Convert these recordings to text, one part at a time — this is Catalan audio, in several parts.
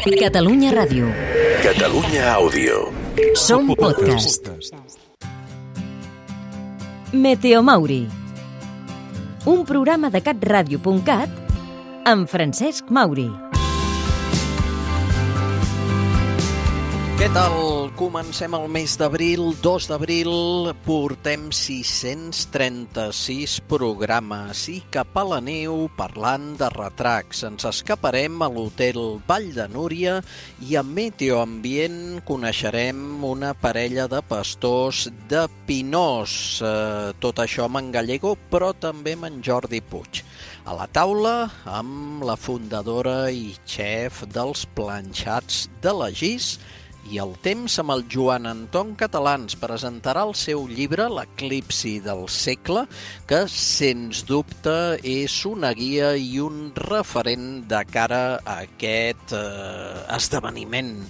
Catalunya Ràdio. Catalunya Àudio. Som podcast. Meteomauri. Un programa de catradio.cat amb Francesc Mauri. Què tal? Comencem el mes d'abril, 2 d'abril, portem 636 programes i cap a la neu parlant de retracs. Ens escaparem a l'hotel Vall de Núria i a Meteoambient coneixerem una parella de pastors de Pinós. Tot això amb en Gallego, però també amb en Jordi Puig. A la taula amb la fundadora i xef dels planxats de la Gis, i el temps amb el Joan Anton Català ens presentarà el seu llibre L'eclipsi del segle, que sens dubte és una guia i un referent de cara a aquest esdeveniment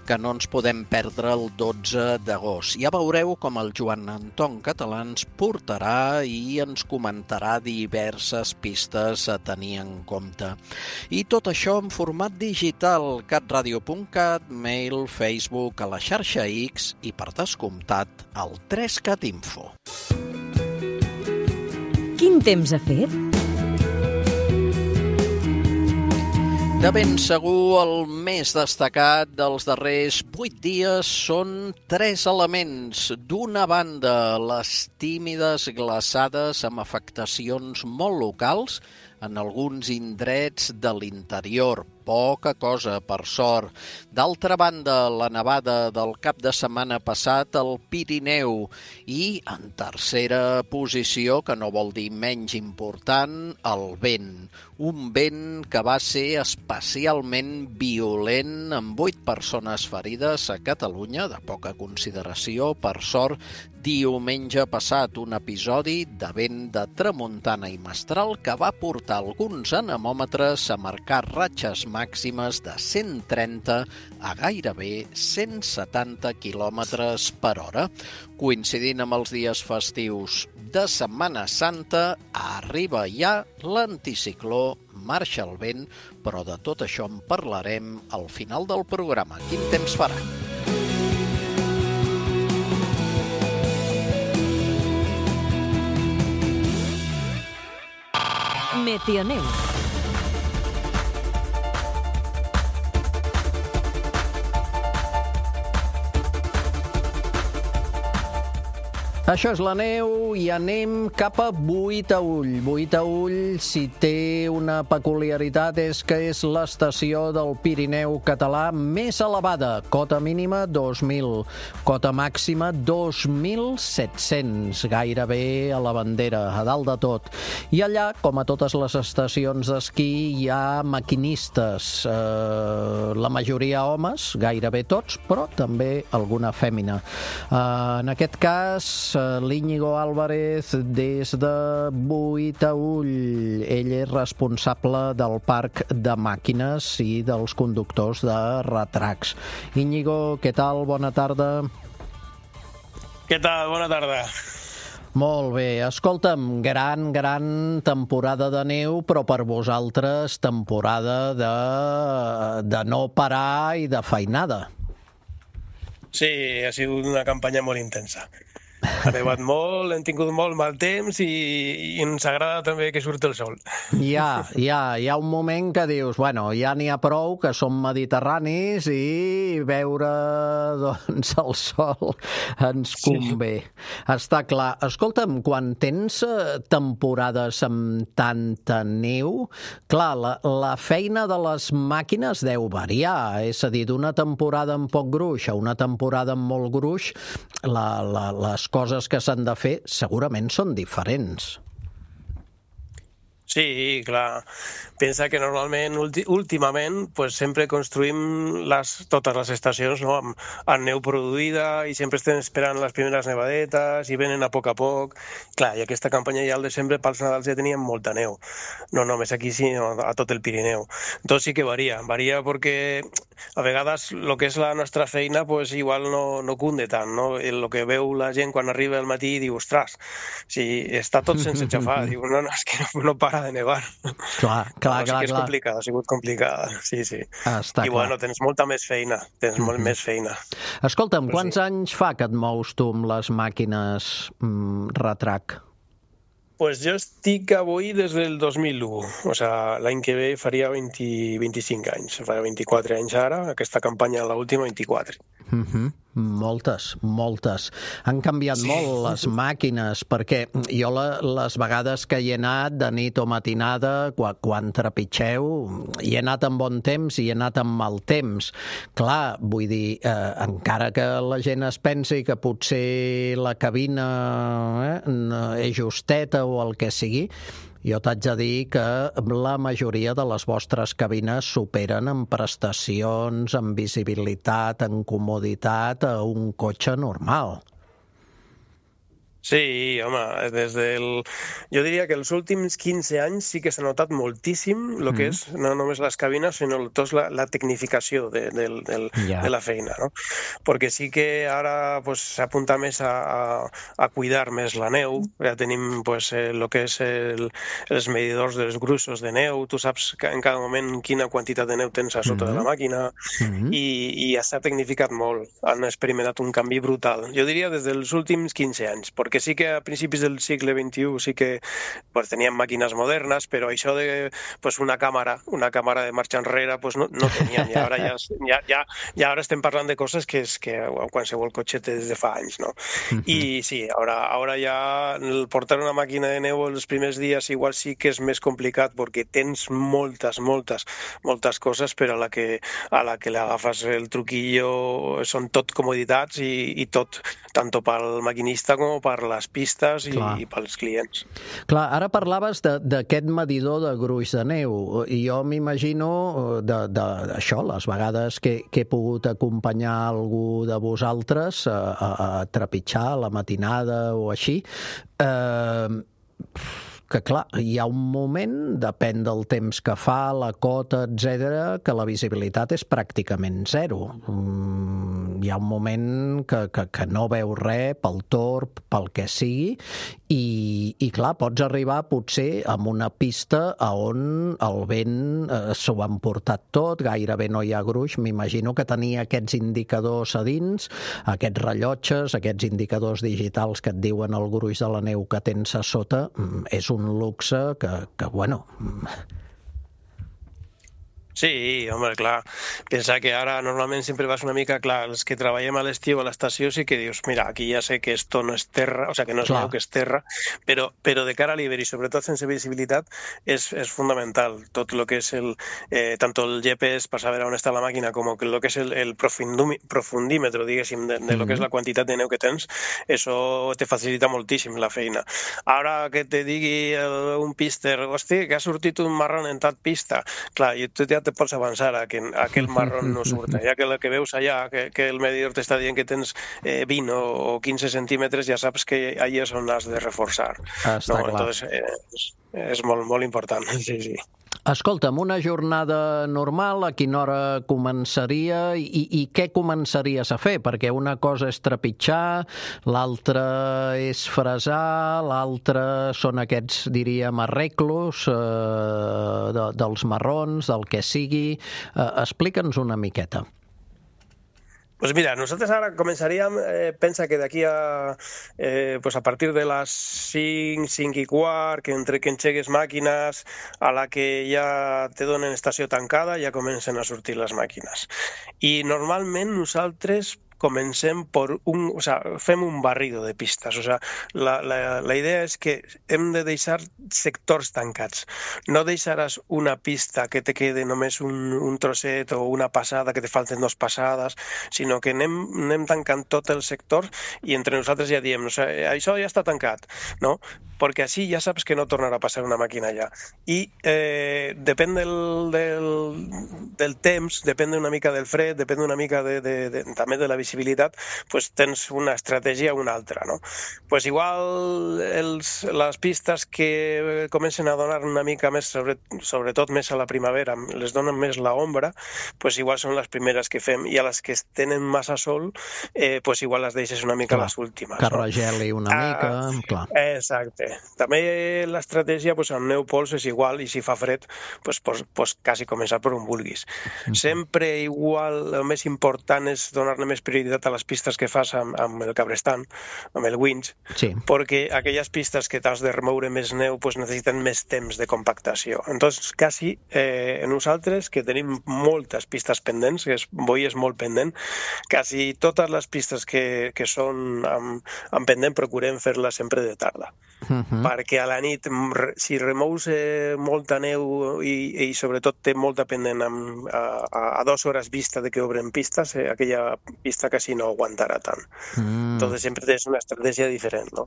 que no ens podem perdre el 12 d'agost. Ja veureu com el Joan Anton Català ens portarà i ens comentarà diverses pistes a tenir en compte. I tot això en format digital, catradio.cat, mail, Facebook, a la xarxa X i, per descomptat, al 3cat Info. Quin temps ha fet? De ben segur, el més destacat dels darrers 8 dies són 3 elements. D'una banda, les tímides glaçades amb afectacions molt locals en alguns indrets de l'interior. Poca cosa, per sort. D'altra banda, la nevada del cap de setmana passat al Pirineu. I, en tercera posició, que no vol dir menys important, el vent. Un vent que va ser especialment violent, amb 8 persones ferides a Catalunya, de poca consideració, per sort. Diumenge passat, un episodi de vent de tramuntana i mestral que va portar alguns anemòmetres a marcar ratxes màximes de 130 a gairebé 170 km per hora. Coincidint amb els dies festius de Setmana Santa, arriba ja l'anticicló, marxa el vent, però de tot això en parlarem al final del programa. Quin temps farà? Meteoneu. Això és la neu i anem cap a Boïtaüll. Boïtaüll, si té una peculiaritat, és que és l'estació del Pirineu català més elevada. Cota mínima 2.000, cota màxima 2.700, gairebé a la bandera, a dalt de tot. I allà, com a totes les estacions d'esquí, hi ha maquinistes, la majoria homes, gairebé tots, però també alguna fèmina. En aquest cas, l'Íñigo Álvarez des de Boïtaüll. Ell és responsable del parc de màquines i dels conductors de retracs. Íñigo, què tal? Bona tarda. Què tal? Bona tarda. Molt bé. Escolta'm, gran temporada de neu, però per vosaltres temporada de no parar i de feinada. Sí, ha sigut una campanya molt intensa. Ha nevat molt, hem tingut molt mal temps i ens agrada també que surti el sol. Hi ha un moment que dius, bueno, ja n'hi ha prou, que som mediterranis i veure doncs, el sol ens convé. Sí. Està clar. Escolta'm, quan tens temporades amb tanta neu, clar, la feina de les màquines deu variar, és a dir, d'una temporada amb poc gruix a una temporada amb molt gruix, les coses que s'han de fer segurament són diferents. Sí, clar. Pensa que normalment, últimament, pues, sempre construïm totes les estacions, no? amb neu produïda i sempre estem esperant les primeres nevadetes i venen a poc. Clar, i aquesta campanya ja al desembre pels Nadals ja teníem molta neu. No només aquí, sinó a tot el Pirineu. Entonces sí que varia perquè a vegades el que és la nostra feina pues, igual no cunde tant, no? El que veu la gent quan arriba al matí i diu, ostres, si està tot sense xafar, diu, no, és que no para de nevar. Clar. És complicada, ha sigut complicada, sí. Està I bueno, tens molta més feina, molt més feina. Escolta'm, quants anys fa que et mous tu amb les màquines Retrac? Pues jo estic avui des del 2001, o sigui, l'any que ve faria 25 anys, faria 24 anys ara, aquesta campanya, l'última, 24. Moltes. Han canviat molt les màquines, perquè jo les vegades que hi he anat de nit o matinada, quan trepitgeu, hi he anat amb bon temps i he anat amb mal temps. Clar, vull dir, encara que la gent es pensi que potser la cabina és justeta o el que sigui, jo t'haig de dir que la majoria de les vostres cabines superen en prestacions, en visibilitat, en comoditat a un cotxe normal. Sí, home, jo diria que els últims 15 anys sí que s'ha notat moltíssim el que és no només les cabines, sinó tota la tecnificació de la feina, no? Perquè sí que ara s'apunta més a cuidar més la neu, ja tenim el que és els medidors dels gruixos de neu, tu saps en cada moment quina quantitat de neu tens a sota de la màquina, i s'ha tecnificat molt, han experimentat un canvi brutal. Jo diria des dels últims 15 anys, perquè sí que a principis del segle XXI sí que teníem màquines modernes, però això de una càmera de marxa enrere no teníem, i ara estem parlant de coses que qualsevol cotxe té des de fa anys, no? I sí, ara ja portar una màquina de neu els primers dies igual sí que és més complicat perquè tens moltes coses, però a la que le agafes el truquillo són tot comoditats i tot, tant pel maquinista com per les pistes i pels clients. Clar, ara parlaves d'aquest medidor de gruix de neu, i jo m'imagino d'això, les vegades que he pogut acompanyar algú de vosaltres a trepitjar a la matinada o així, que clar, hi ha un moment, depèn del temps que fa, la cota, etc., que la visibilitat és pràcticament zero. Hi ha un moment que no veus res pel torb, pel que sigui, i clar, pots arribar potser a una pista on el vent s'ho ha emportat tot, gairebé no hi ha gruix. M'imagino que tenir aquests indicadors a dins, aquests rellotges, aquests indicadors digitals que et diuen el gruix de la neu que tens a sota, és un luxe que bueno... Sí, home, clar. Pensa que ara normalment sempre vas una mica, clar, els que treballem a l'estiu a l'estació sí que dius, mira, aquí ja sé que esto no és terra, o sea, que no és neu, que és terra, però de cara a l'hivern i sobretot sense visibilitat és fundamental. Tot el que és tant el GPS per saber on està la màquina com el que és el profundímetre, diguéssim, de lo que és la quantitat de neu que tens, això te facilita moltíssim la feina. Ara que te digui un píster, hosti, que ha sortit un marrón en tal pista, clar, tu ja te pots avançar a que aquell marrón no surta. Ja que el que veus allà, que el medidor t'està dient que tens 20 o 15 centímetres, ja saps que allà és on has de reforçar. Està clar. Entonces, és molt important, sí. Escolta'm, una jornada normal, a quina hora començaria i què començaries a fer? Perquè una cosa és trepitjar, l'altra és fresar, l'altra són aquests, diríem, arreglos dels marrons, del que sigui. Explica'ns una miqueta. Pues mira, nosotros ahora començaríem, pensa que d'aquí a partir de les 5, 5 i quart, que entre que enxegues màquines, a la que ja te donen estació tancada, ja comencen a sortir les màquines. I normalment nosaltres comencem fem un barrido de pistes. La idea és que hem de deixar sectors tancats. No deixaràs una pista que te quede només un trosset o una passada, que te falten 2 passades, sinó que anem tancant tot el sector i entre nosaltres ja diem, això ja està tancat, no? perquè així ja saps que no tornarà a passar una màquina allà. I depèn del temps, depèn una mica del fred, depèn una mica també de la visibilitat, pues tens una estratègia o una altra, no? Pues igual les pistes que comencen a donar una mica més, sobretot més a la primavera, les donen més l'ombra, pues igual són les primeres que fem, i a les que tenen massa sol, pues igual les deixes una mica les últimes. Que regeli una mica, clar. Exacte. També l'estratègia, pues, amb neu pols és igual, i si fa fred, pues quasi començar per on vulguis. Sempre igual, el més important és donar-ne més prioritat a les pistes que fas amb el cabrestant, amb el winch, perquè aquelles pistes que t'has de remoure més neu pues necessiten més temps de compactació. Entonces, quasi nosaltres, que tenim moltes pistes pendents, que Boí és molt pendent, quasi totes les pistes que són amb pendent procurem fer-les sempre de tarda. Perquè a la nit, si remous molta neu i sobretot té molta pendent a 2 hores vista de que obren pistes, aquella pista quasi no aguantarà tant. Entonces sempre tens una estratègia diferent, no?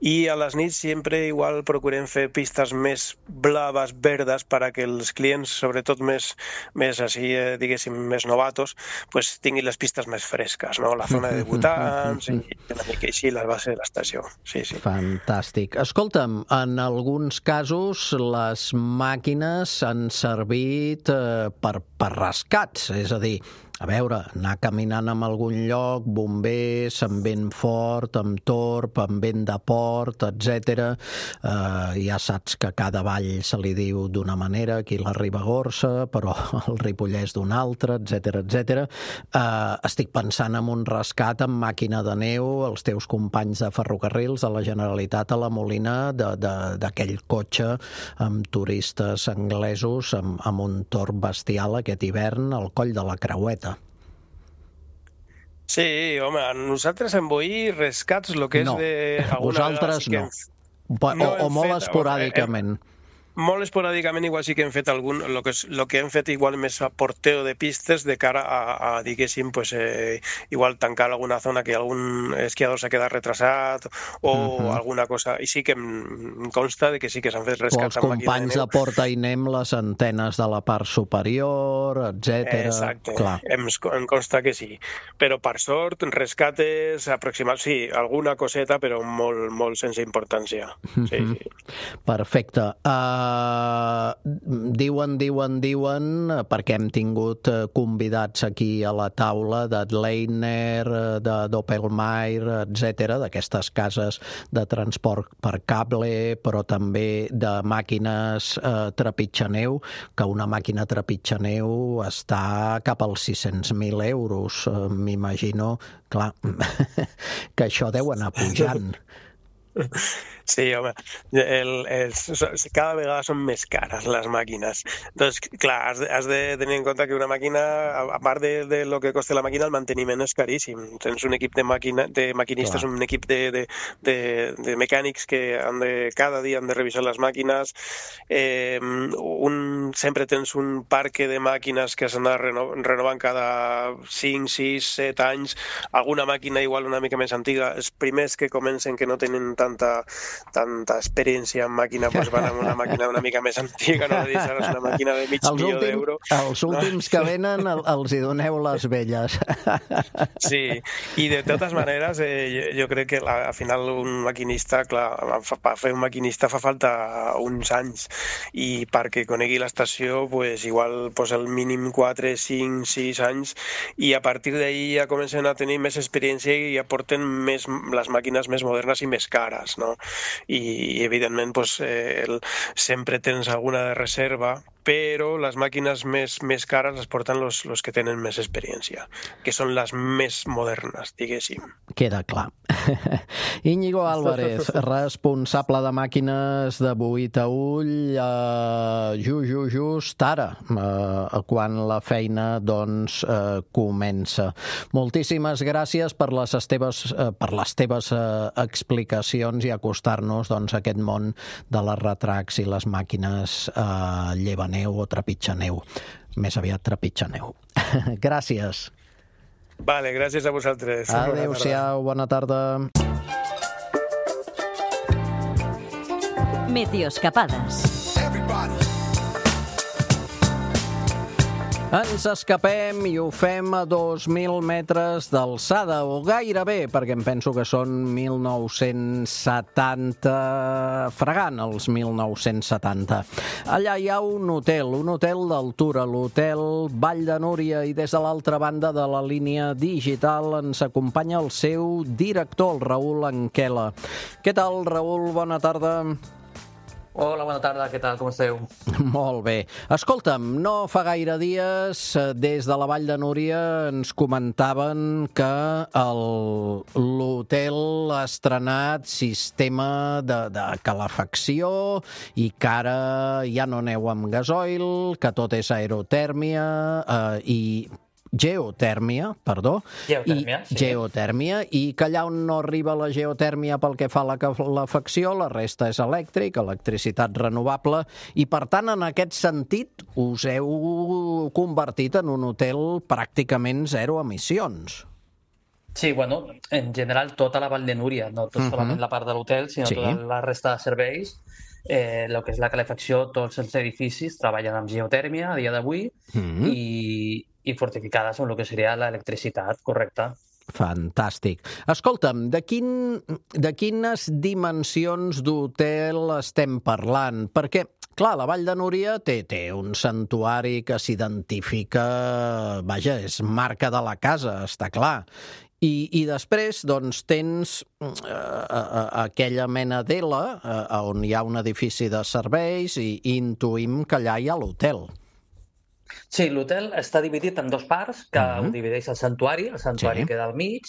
I a les nits sempre igual procurem fer pistes més blaves, verdes, perquè els clients, sobretot més així, diguéssim, més novatos, pues tinguin les pistes més fresques, no? La zona de debutants i una mica així la base de l'estació. Sí. Fantàstic. Escolta'm, en alguns casos les màquines han servit per rescats, és a dir, a veure, anar caminant en algun lloc, bombers, amb vent fort, amb torb, amb vent de port, etc. Ja saps que cada vall se li diu d'una manera, aquí la Ribagorça, però el Ripollès d'una altra, etc. Estic pensant en un rescat amb màquina de neu, els teus companys de ferrocarrils, de la Generalitat a la Molina, d'aquell cotxe amb turistes anglesos, amb un torb bestial aquest hivern al coll de la Creueta. Sí, home, nosaltres en Boí rescats el que és de... Vosaltres no. O molt esporàdicament. Molt esporàdicament igual sí que hem fet algun, el que hem fet igual més a porteo de pistes de cara a diguéssim, pues, igual tancar alguna zona que algun esquiador s'ha quedat retrasat o alguna cosa, i sí que em consta de que sí que s'han fet rescats amb màquina de neu. Els companys de Porta i Nem, les antenes de la part superior, etc. Exacte, em consta que sí, però per sort, rescates aproximats, sí, alguna coseta, però molt, molt sense importància. Sí. Perfecte. Diuen, perquè hem tingut convidats aquí a la taula d'Adleiner, de Doppelmayr, etc., d'aquestes cases de transport per cable, però també de màquines trepitjaneu, que una màquina trepitjaneu està cap als 600.000 euros. M'imagino, clar, que això deu anar pujant. Sí, home, cada vegada són més cares les màquines. Doncs, clar, has de tenir en compte que una màquina, a part de lo que costa la màquina, el manteniment és caríssim. Tens un equip de maquinistes, un equip de mecànics que cada dia han de revisar les màquines. Sempre tens un parc de màquines que s'han de renovant cada 5, 6, 7 anys. Alguna màquina igual una mica més antiga. Els primers que comencen, que no tenen tanta experiència en màquina, doncs van amb una màquina una mica més antiga, no deixaràs una màquina de mig milió d'euros. Els últims que venen els hi doneu les velles. Sí, i de totes maneres jo crec que al final un maquinista, clar, per fer un maquinista fa falta uns anys, i perquè conegui l'estació, pues igual el mínim 4, 5, 6 anys, i a partir d'ahir ja comencen a tenir més experiència i ja porten les màquines més modernes i més cares, no? I evidentment sempre tens alguna de reserva, però les màquines més cares les porten els que tenen més experiència, que són les més modernes, diguéssim. Queda clar. Íñigo Álvarez, responsable de màquines de Boí Taüll, just ara, quan la feina comença. Moltíssimes gràcies per les teves explicacions i acostar-nos a aquest món de les retracs i les màquines llevaneu o trepitjaneu. Més aviat trepitjaneu. Gràcies. Vale, gràcies a vosaltres. Adéu-siau, bona tarda. Meteoescapades. Ens escapem i ho fem a 2.000 metres d'alçada, o gairebé, perquè em penso que són 1970, fregant els 1970. Allà hi ha un hotel d'altura, l'Hotel Vall de Núria, i des de l'altra banda de la línia digital ens acompanya el seu director, el Raül Anquela. Què tal, Raül? Bona tarda. Hola, bona tarda, què tal, com esteu? Molt bé. Escolta'm, no fa gaire dies, des de la Vall de Núria ens comentaven que l'hotel ha estrenat sistema de calefacció i que ara ja no aneu amb gasoil, que tot és aerotèrmia geotèrmia, i que allà on no arriba la geotèrmia pel que fa a la calefacció, la resta és elèctric, electricitat renovable, i per tant, en aquest sentit, us heu convertit en un hotel pràcticament zero emissions. Sí, bueno, en general tota la Vall de Núria, no solament la part de l'hotel, sinó tota la resta de serveis. El que és la calefacció, tots els edificis treballen amb geotèrmia a dia d'avui i fortificades amb el que seria l'electricitat, correcte. Fantàstic. Escolta'm, de quines dimensions d'hotel estem parlant? Perquè, clar, la Vall de Núria té un santuari que s'identifica, vaja, és marca de la casa, està clar. I després, doncs, tens aquella mena d'ela on hi ha un edifici de serveis i intuïm que allà hi ha l'hotel. Sí, l'hotel està dividit en dos parts, que ho divideix el santuari queda al mig,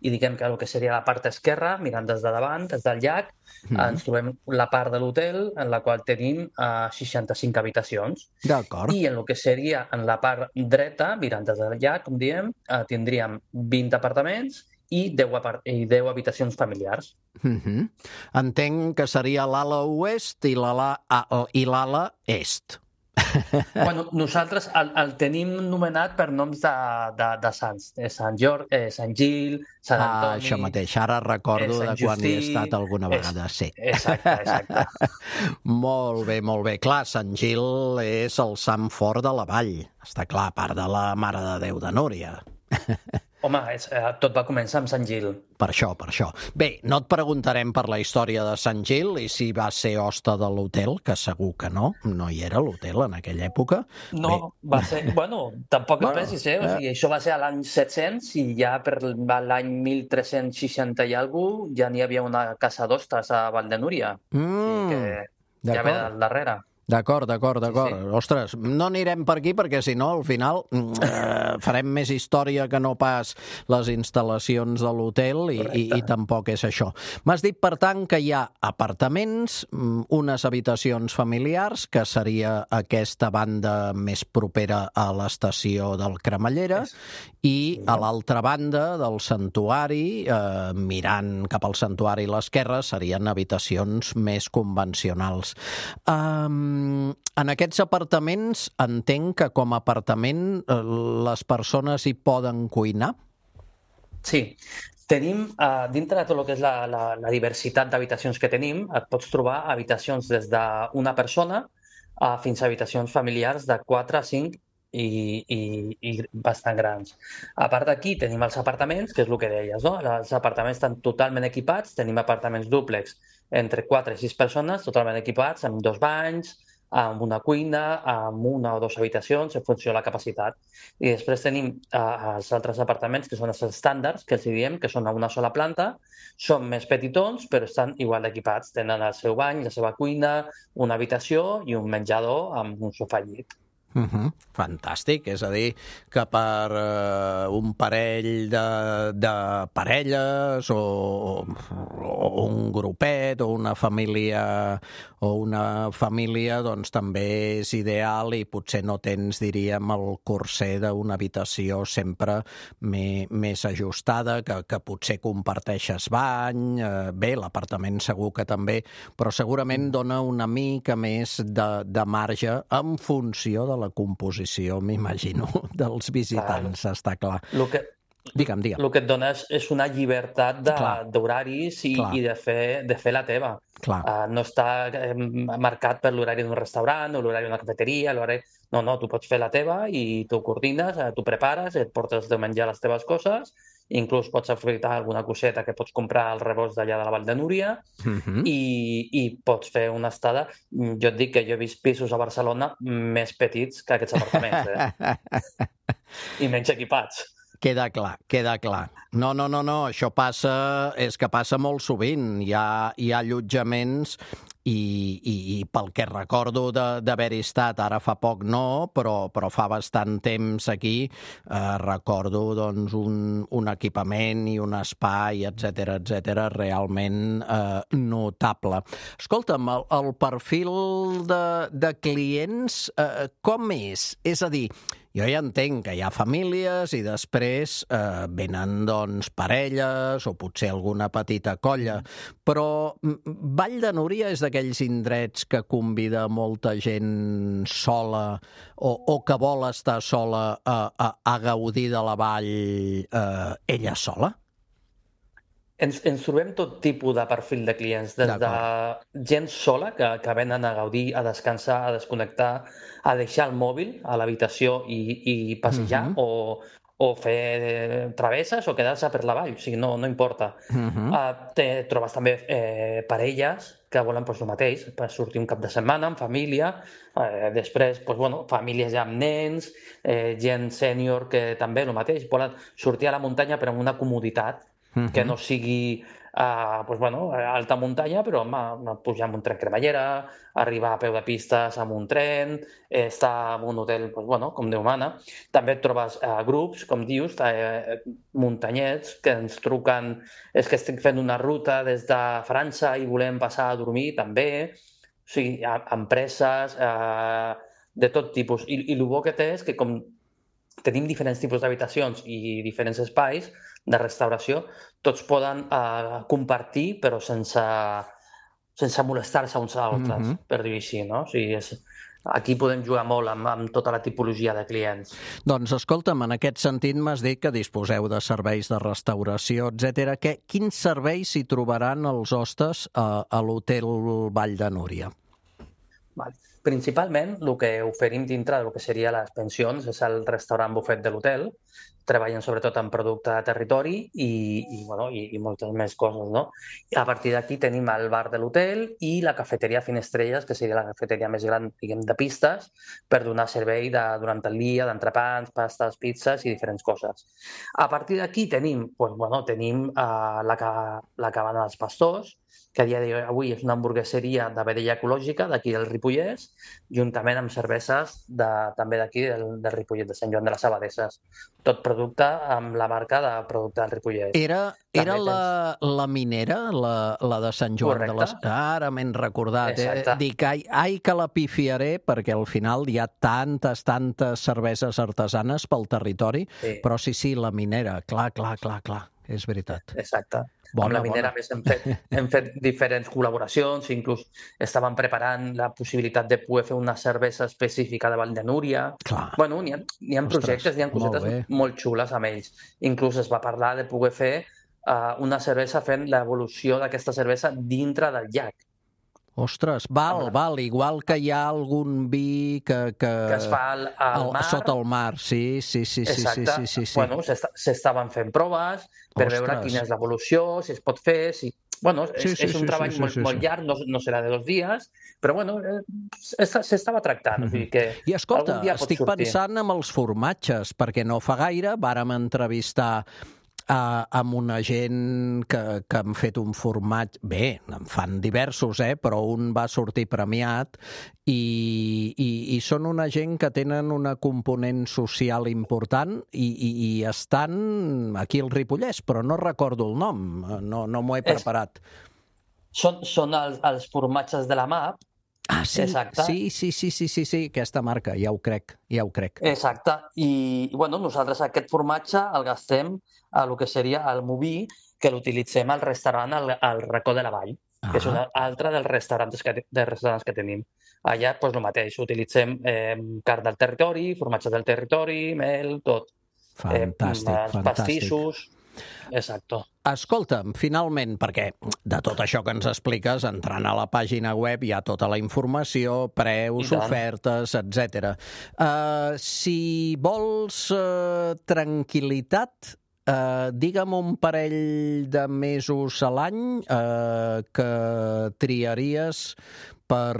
i diguem que el que seria la part esquerra, mirant des de davant, des del llac, ens trobem la part de l'hotel en la qual tenim 65 habitacions. D'acord. I en el que seria en la part dreta, mirant des del llac, com diem, tindríem 20 apartaments i 10 habitacions familiars. Entenc que seria l'ala oest i l'ala est. Bueno, nosaltres el tenim nomenat per noms de sants. Sant Gil, Sant Antoni... Això mateix, ara recordo de quan hi he estat alguna vegada, sí. Exacte. Molt bé. Clar, Sant Gil és el sant fort de la vall. Està clar, a part de la Mare de Déu de Núria. Home, tot va començar amb Sant Gil. Per això. Bé, no et preguntarem per la història de Sant Gil i si va ser hoste de l'hotel, que segur que no hi era l'hotel en aquella època. No, va ser... Bueno, tampoc et pensis, O sigui, això va ser a l'any 700 i ja per l'any 1360 i alguna cosa ja n'hi havia una casa d'hostes a Vall de Núria. Que ja ve del darrere. D'acord. Sí. Ostres, no anirem per aquí perquè si no al final farem més història que no pas les instal·lacions de l'hotel i tampoc és això. M'has dit, per tant, que hi ha apartaments, unes habitacions familiars, que seria aquesta banda més propera a l'estació del Cremallera, i a l'altra banda del santuari, mirant cap al santuari a l'esquerra, serien habitacions més convencionals. En aquests apartaments entenc que com a apartament les persones hi poden cuinar? Sí. Tenim, dintre de tot el que és la diversitat d'habitacions que tenim, et pots trobar habitacions des d'una persona fins a habitacions familiars de 4 a 5 i bastant grans. A part d'aquí tenim els apartaments, que és el que deies, no? Els apartaments estan totalment equipats, tenim apartaments dúplex entre 4 i 6 persones, totalment equipats, amb 2 banys, amb una cuina, amb 1 o 2 habitacions, en funció de la capacitat. I després tenim els altres apartaments, que són els estàndards, que els diem, que són a una sola planta, són més petitons, però estan igual equipats. Tenen el seu bany, la seva cuina, una habitació i un menjador amb un sofà llit. Fantàstic, és a dir, que per un parell de parelles o un grupet o una família doncs també és ideal i potser no tens, diríem, el corser d'una habitació sempre més ajustada, que potser comparteixes bany, bé, l'apartament segur que també, però segurament dona una mica més de marge en funció de la composició, m'imagino, dels visitants, està clar. Digue'm. El que et dona és una llibertat d'horaris i de fer la teva. No està marcat per l'horari d'un restaurant o l'horari d'una cafeteria. No, tu pots fer la teva i tu coordines, tu prepares, et portes de menjar les teves coses, inclús pots aprofitar alguna coseta que pots comprar al rebost d'allà de la Vall de Núria i pots fer una estada. Jo et dic que jo he vist pisos a Barcelona més petits que aquests apartaments, i menys equipats. Queda clar. No, això és que passa molt sovint. Hi ha allotjaments i pel que recordo d'haver-hi estat, ara fa poc no, però fa bastant temps aquí, recordo doncs, un equipament i un espai, etcètera, realment notable. Escolta'm, el perfil de clients com és? És a dir, jo ja entenc que hi ha famílies i després venen doncs parelles o potser alguna petita colla, però Vall de Núria és d'aquells indrets que convida molta gent sola o que vol estar sola a gaudir de la vall ella sola? Ens trobem tot tipus de perfil de clients, des de gent sola que venen a gaudir, a descansar, a desconnectar, a deixar el mòbil a l'habitació i passejar o fer travesses o quedar-se per la vall, o sigui, no importa. Trobes també parelles que volen el mateix, per sortir un cap de setmana amb família, després famílies ja amb nens, gent sènior que també el mateix, volen sortir a la muntanya però amb una comoditat, que no sigui alta muntanya, però pujar amb un tren cremallera, arribar a peu de pistes amb un tren, estar en un hotel com Déu mana. També et trobes grups, com dius, muntanyets que ens truquen, és que estic fent una ruta des de França i volem passar a dormir també. O sigui, empreses de tot tipus. I el bo que té és que com tenim diferents tipus d'habitacions i diferents espais de restauració, tots poden compartir, però sense molestar-se uns a altres, per dir-ho així, no? O sigui, aquí podem jugar molt amb tota la tipologia de clients. Doncs escolta'm, en aquest sentit m'has dit que disposeu de serveis de restauració, etcètera. Quins serveis s'hi trobaran els hostes a l'Hotel Vall de Núria? Principalment, el que oferim dintre del que seria les pensions és el restaurant bufet de l'hotel. Treballen sobretot en producte de territori i moltes més coses, no? I a partir d'aquí tenim el bar de l'hotel i la cafeteria Finestrelles, que seria la cafeteria més gran, diguem, de pistes, per donar servei durant el dia, d'entrepans, pastes, pizzas i diferents coses. A partir d'aquí tenim la cabana dels pastors, que a dia d'avui és una hamburgueseria de vedella ecològica d'aquí del Ripollès, juntament amb cerveses també d'aquí del Ripollet, de Sant Joan de les Abadesses. Tot producte amb la marca de producte del Ripollès. Era la minera, la de Sant Joan de les... Ara m'he recordat. Dic, ai que la pifiaré, perquè al final hi ha tantes cerveses artesanes pel territori, però sí, la minera, clar, és veritat. Exacte. Amb la minera hem fet diferents col·laboracions, inclús estaven preparant la possibilitat de poder fer una cervesa específica de Vall de Núria. N'hi ha projectes, n'hi ha cosetes molt xules amb ells. Inclús es va parlar de poder fer una cervesa fent l'evolució d'aquesta cervesa dintre del llac. Ostres, val, igual que hi ha algun vi que es fa al mar. Sota el mar, sí. Exacte. S'estaven fent proves per veure quina és l'evolució, si es pot fer, si... És un treball molt llarg, no serà de 2 dies, però s'estava tractant. I escolta, estic pensant en els formatges, perquè no fa gaire vàrem entrevistar amb una gent que han fet un formatge... Bé, en fan diversos, però un va sortir premiat i són una gent que tenen una component social important i estan aquí al Ripollès, però no recordo el nom, no m'ho he preparat. Són els formatges de la MAP. Ah, sí, sí, aquesta marca, ja ho crec. Exacte, i nosaltres aquest formatge el gastem a el que seria el Moví, que l'utilitzem al restaurant al Racó de la Vall, que és un altre dels restaurants que tenim. Allà, el mateix, utilitzem carn del territori, formatge del territori, mel, tot. Fantàstic. Pastissos. Exacto. Escolta'm, finalment, perquè de tot això que ens expliques, entrant a la pàgina web hi ha tota la informació, preus, ofertes, etc. Si vols tranquil·litat, digue'm un parell de mesos a l'any que triaries per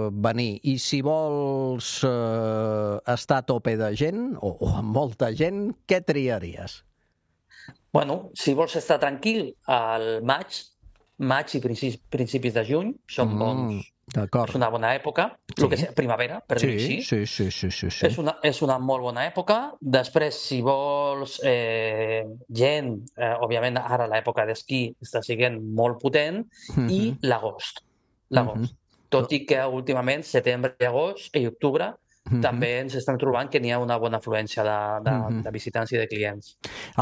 venir. I si vols estar a tope de gent, o amb molta gent, què triaries? Bueno, si vols estar tranquil, al maig i principis de juny són bons. D'acord. És una bona època, el que és primavera, per dir així. Sí. És una molt bona època. Després, si vols gent, òbviament ara l'època d'esquí està sent molt potent, i l'agost. Tot i que últimament, setembre, agost i octubre, també ens estem trobant que n'hi ha una bona afluència de visitants i de clients.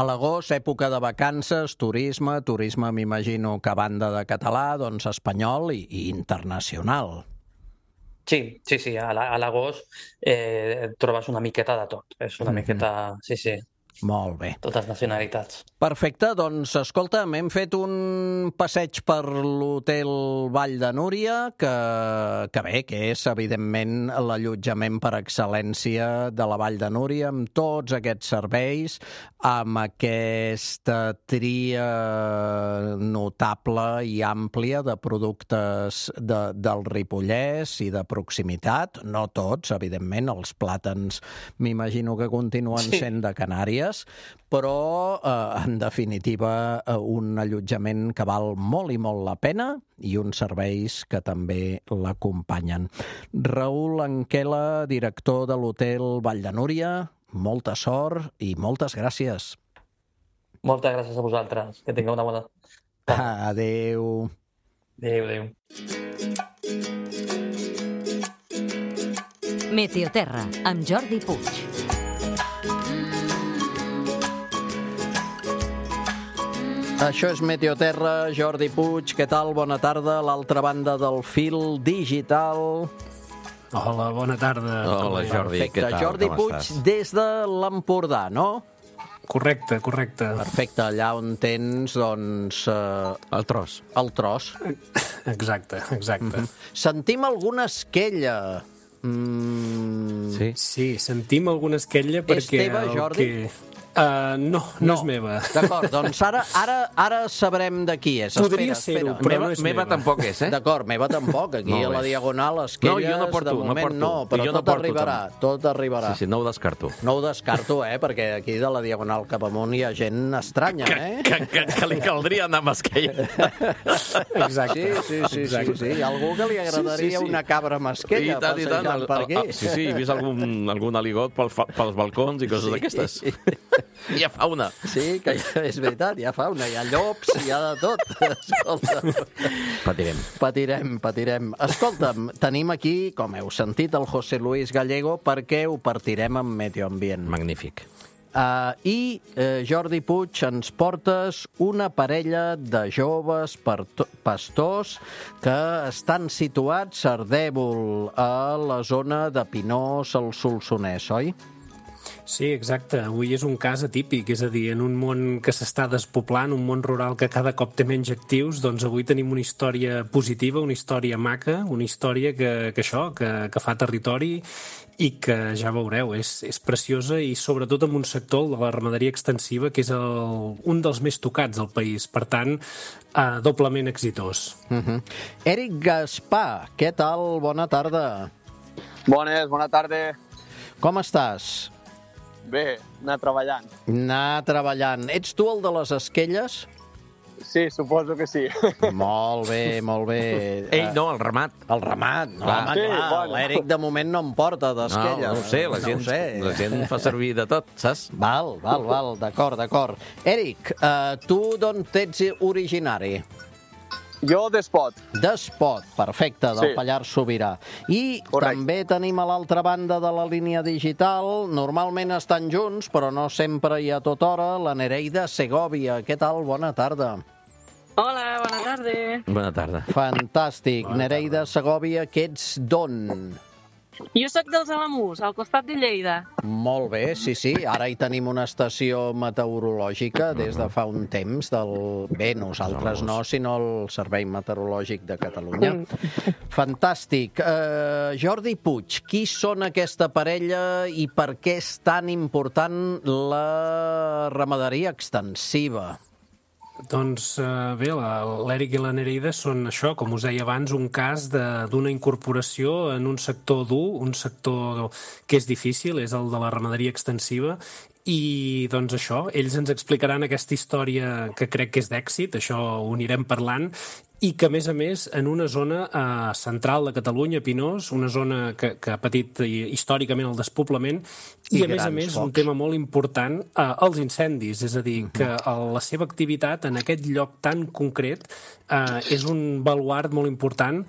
A l'agost, època de vacances, turisme m'imagino que a banda de català, doncs espanyol i internacional. Sí, a l'agost trobes una miqueta de tot. És una miqueta, sí. Molt bé. Totes nacionalitats. Perfecte, doncs escolta, hem fet un passeig per l'hotel Vall de Núria, que bé, que és evidentment l'allotjament per excel·lència de la Vall de Núria, amb tots aquests serveis, amb aquesta tria notable i àmplia de productes del Ripollès i de proximitat, no tots, evidentment, els plàtans m'imagino que continuen sent de Canàries, però, en definitiva, un allotjament que val molt i molt la pena i uns serveis que també l'acompanyen. Raül Anquela, director de l'hotel Vall de Núria, molta sort i moltes gràcies. Moltes gràcies a vosaltres. Que tingueu una bona tarda. Adéu. Adéu. Meteoterra, amb Jordi Puig. Això és Meteoterra, Jordi Puig, què tal? Bona tarda, a l'altra banda del fil digital. Hola, bona tarda. Hola, Jordi, perfecte. què tal? Jordi Com Puig, estàs? des de l'Empordà, no? Correcte. Perfecte, allà on tens, doncs... El tros. El tros. Exacte. Sentim alguna esquella. Sí, sentim alguna esquella perquè... És teva, Jordi? No és meva. D'acord, doncs ara sabrem de qui és. Podria ser-ho, però no és meva tampoc és, eh? D'acord, meva tampoc. Aquí a la Diagonal, esquelles, jo no porto, de moment no porto. però I jo no tot porto, arribarà. Tot arribarà. Sí, no ho descarto. No ho descarto, perquè aquí de la Diagonal cap amunt hi ha gent estranya, Que li caldria anar amb esquella. Exacte. Sí. Hi ha algú que li agradaria una cabra amb esquella passejant per aquí. Sí, he vist algun aligot pels balcons i coses d'aquestes. Hi ha fauna. Sí, que és veritat, hi ha fauna, hi ha llops, hi ha de tot. Escolta. Patirem. Escolta'm, tenim aquí, com heu sentit, el José Luis Gallego, perquè ho partirem amb Meteoambient. Magnífic. I Jordi Puig, ens portes una parella de joves pastors que estan situats a Ardèvol, a la zona de Pinós, al Solsonès, oi? Sí, exacte. Avui és un cas atípic, és a dir, en un món que s'està despoblant, un món rural que cada cop té menys actius, doncs avui tenim una història positiva, una història maca, una història que fa territori i que, ja veureu, és preciosa i sobretot en un sector de la ramaderia extensiva que és un dels més tocats del país. Per tant, doblement exitós. Eric Gaspar, què tal? Bona tarda. Bones, bona tarda. Com estàs? Bé, anar treballant. Ets tu el de les esquelles? Sí, suposo que sí. Molt bé. Ell no, el ramat. El ramat, no, clar. home, clar. Bueno. L'Eric de moment no em porta d'esquelles. No ho sé, la gent fa servir de tot, saps? Val, d'acord. Eric, tu d'on ets originari? Jo d'Espot. D'Espot, perfecte, del Sí. Pallars Sobirà. I Correcte. també tenim a l'altra banda de la línia digital, normalment estan junts, però no sempre i a tota hora, la Nereida Segovia. Què tal? Bona tarda. Hola, bona tarda. Bona tarda. Fantàstic. Nereida Segovia, que ets d'on? Jo sóc dels Alamús, al costat de Lleida. Molt bé, sí, sí. Ara hi tenim una estació meteorològica des de fa un temps. Bé, nosaltres no, sinó el Servei Meteorològic de Catalunya. Fantàstic. Jordi Puig, qui són aquesta parella i per què és tan important la ramaderia extensiva? Doncs bé, l'Eric i la Nereida són això, com us deia abans, un cas d'una incorporació en un sector dur, un sector que és difícil, és el de la ramaderia extensiva, i doncs això, ells ens explicaran aquesta història que crec que és d'èxit, això ho anirem parlant, i que, a més, en una zona central de Catalunya, Pinós, una zona que ha patit històricament el despoblament, i a més, un tema molt important, els incendis, és a dir, que la seva activitat en aquest lloc tan concret és un baluard molt important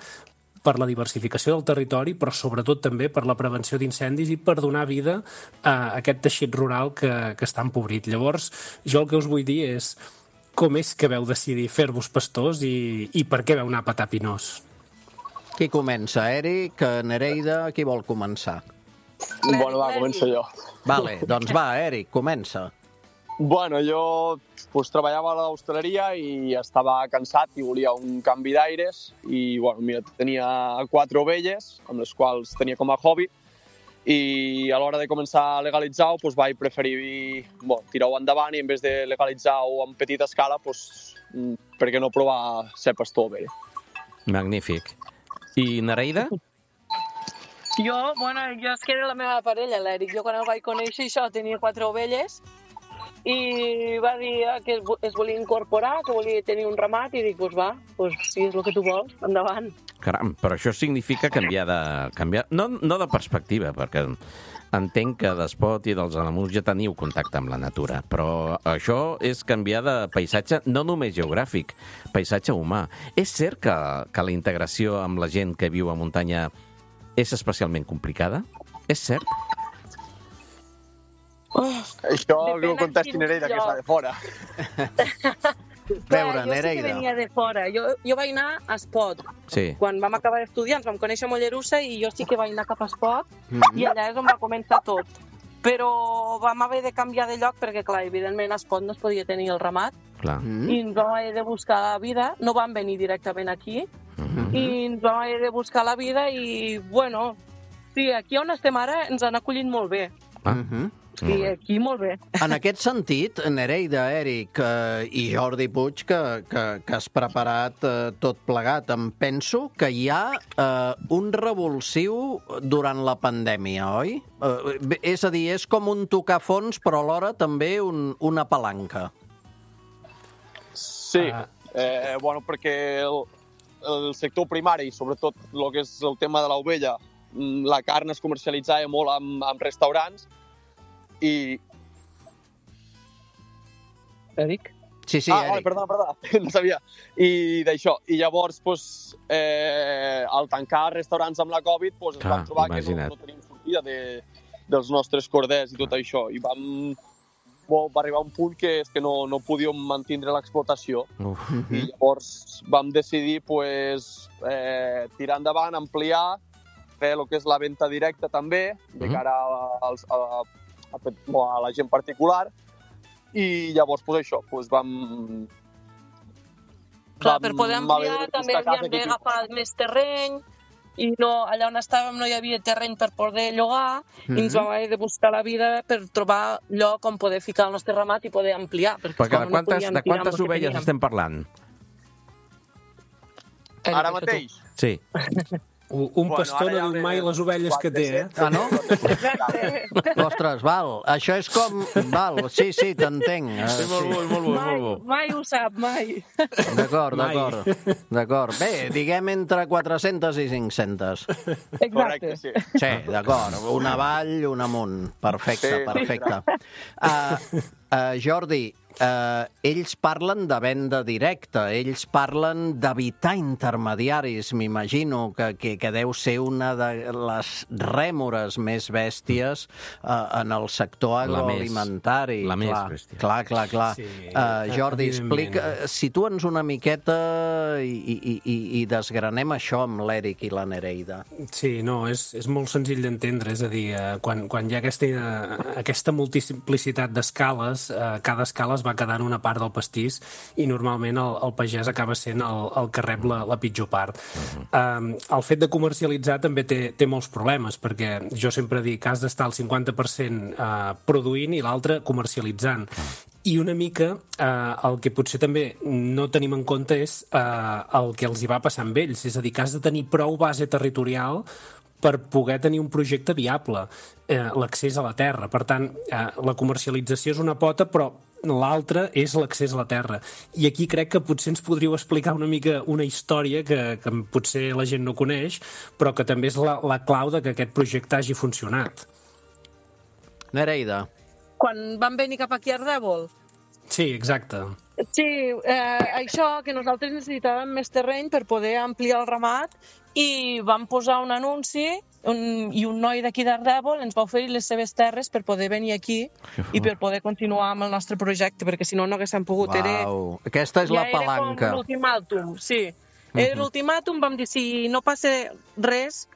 per la diversificació del territori, però sobretot també per la prevenció d'incendis i per donar vida a aquest teixit rural que està empobrit. Llavors, jo el que us vull dir és com és que vau decidir fer-vos pastors i per què vau anar a petar Pinós? Qui comença? Eric, Nereida, qui vol començar? Bueno, va, començo jo. Vale, doncs va, Eric, comença. Bueno, jo treballava a l'hostaleria i estava cansat i volia un canvi d'aires i, bueno, mira, tenia 4 ovelles, amb les quals tenia com a hobby, i a l'hora de començar a legalitzar-ho vaig preferir tirar-ho endavant i en vez de legalitzar-ho en petita escala, per què no provar ser pastor ovell? Magnífic. I Nereida? Jo és que era la meva parella, l'Eric. Jo quan el vaig conèixer, això, tenia 4 ovelles i va dir que es volia incorporar, que volia tenir un ramat i dic, si és el que tu vols, endavant. Caram, però això significa canviar no de perspectiva, perquè entenc que d'Espot i dels Alamús ja teniu contacte amb la natura, però això és canviar de paisatge no només geogràfic, paisatge humà. És cert que la integració amb la gent que viu a muntanya és especialment complicada? És cert? Això que ho contesti Nereida, que està de fora. Veure, Nereida. Jo sí que venia de fora. Jo vaig anar a Espot. Sí. Quan vam acabar d'estudiar ens vam conèixer a Mollerussa i jo sí que vaig anar cap a Espot i allà és on va començar tot. Però vam haver de canviar de lloc perquè, clar, evidentment a Espot no es podia tenir el ramat. Clar. I ens vam haver de buscar la vida. No vam venir directament aquí i ens vam haver de buscar la vida i, bueno, sí, aquí on estem ara ens han acollit molt bé. Sí, aquí molt bé. En aquest sentit, Nereida, Eric i Jordi Puig, que has preparat tot plegat, em penso que hi ha un revulsiu durant la pandèmia, oi? És a dir, és com un tocar fons, però alhora també una palanca. Sí, perquè el sector primari, sobretot el que és el tema de l'ovella, la carn es comercialitzava molt amb restaurants, i... Eric? Sí, Eric. Vale, perdona, no sabia. I d'això. I llavors, al tancar restaurants amb la Covid, es van trobar que no tenim sortida dels nostres corders i tot això. I va arribar un punt que no podíem mantindre l'explotació. I llavors vam decidir tirar endavant, ampliar, fer el que és la venda directa també, de cara a la gent particular, i llavors vam... Clar, per poder ampliar també havíem d'agafar més terreny i allà on estàvem no hi havia terreny per poder llogar i ens vam haver de buscar la vida per trobar lloc on poder ficar el nostre ramat i poder ampliar. Perquè de quantes ovelles estem parlant? Ara mateix? Sí. Un pastor no diu mai les ovelles que té, eh? Ah, no? Ostres, val. Això és com... Val, sí, t'entenc. Sí, molt bo. Mai ho sap, mai. D'acord. Bé, diguem entre 400 i 500. Exacte. Sí, d'acord. Un avall, un amunt. Perfecte. Jordi, ells parlen de venda directa, ells parlen d'evitar intermediaris, m'imagino, que deu ser una de les rèmores més bèsties en el sector agroalimentari. La més bèstia. Clar. Sí, Jordi, situa'ns una miqueta i desgranem això amb l'Eric i la Nereida. Sí, no, és molt senzill d'entendre, és a dir, quan hi ha aquesta multiplicitat d'escales, cada escala es va quedar en una part del pastís i normalment el pagès acaba sent el que rep la pitjor part. El fet de comercialitzar també té molts problemes, perquè jo sempre dic que has d'estar al 50% produint i l'altre comercialitzant. I una mica el que potser també no tenim en compte és el que els hi va passar amb ells, és a dir, que has de tenir prou base territorial per poder tenir un projecte viable, l'accés a la terra. Per tant, la comercialització és una pota, però l'altra és l'accés a la terra. I aquí crec que potser ens podríeu explicar una mica una història que potser la gent no coneix, però que també és la clau de que aquest projecte hagi funcionat. Nereida. Quan van venir cap aquí a Ardèvol? Sí, exacte. Sí, això, que nosaltres necessitàvem més terreny per poder ampliar el ramat i vam posar un anunci i un noi d'aquí d'Ardèvol ens va oferir les seves terres per poder venir aquí i per poder continuar amb el nostre projecte, perquè si no, no haguéssim pogut. Aquesta és la palanca. Era com l'ultimàtum, sí. Era l'ultimàtum, vam dir, si no passa res,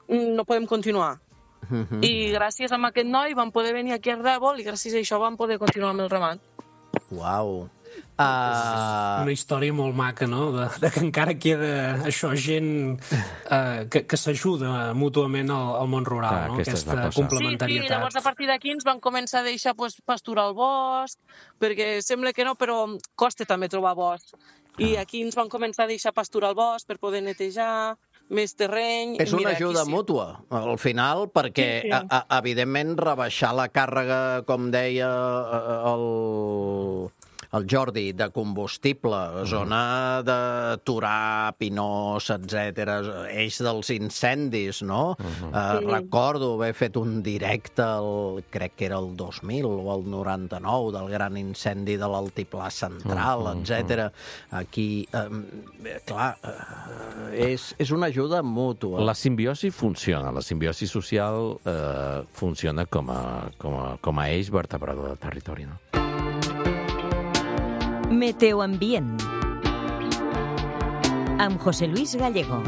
no podem continuar. I gràcies a aquest noi vam poder venir aquí a Ardèvol i gràcies a això vam poder continuar amb el ramat. Uau. És una història molt maca, no? De que encara queda això, gent que s'ajuda mútuament al món rural, no? Aquesta complementarietat. Sí, llavors a partir d'aquí ens van començar a deixar pasturar al bosc, perquè sembla que no, però costa també trobar bosc. I aquí ens van començar a deixar pasturar al bosc per poder netejar, més terreny... És una ajuda mútua, al final, perquè, evidentment, rebaixar la càrrega, com deia el Jordi, de combustible, zona de Torà, Pinós, etc., eix dels incendis, no? Recordo haver fet un directe, crec que era el 2000 o el 99, del gran incendi de l'Altiplà Central, etc. Aquí, clar, és una ajuda mútua. La simbiosi funciona, la simbiosi social funciona com a eix vertebrador del territori, no? Meteoambient amb José Luis Gallego.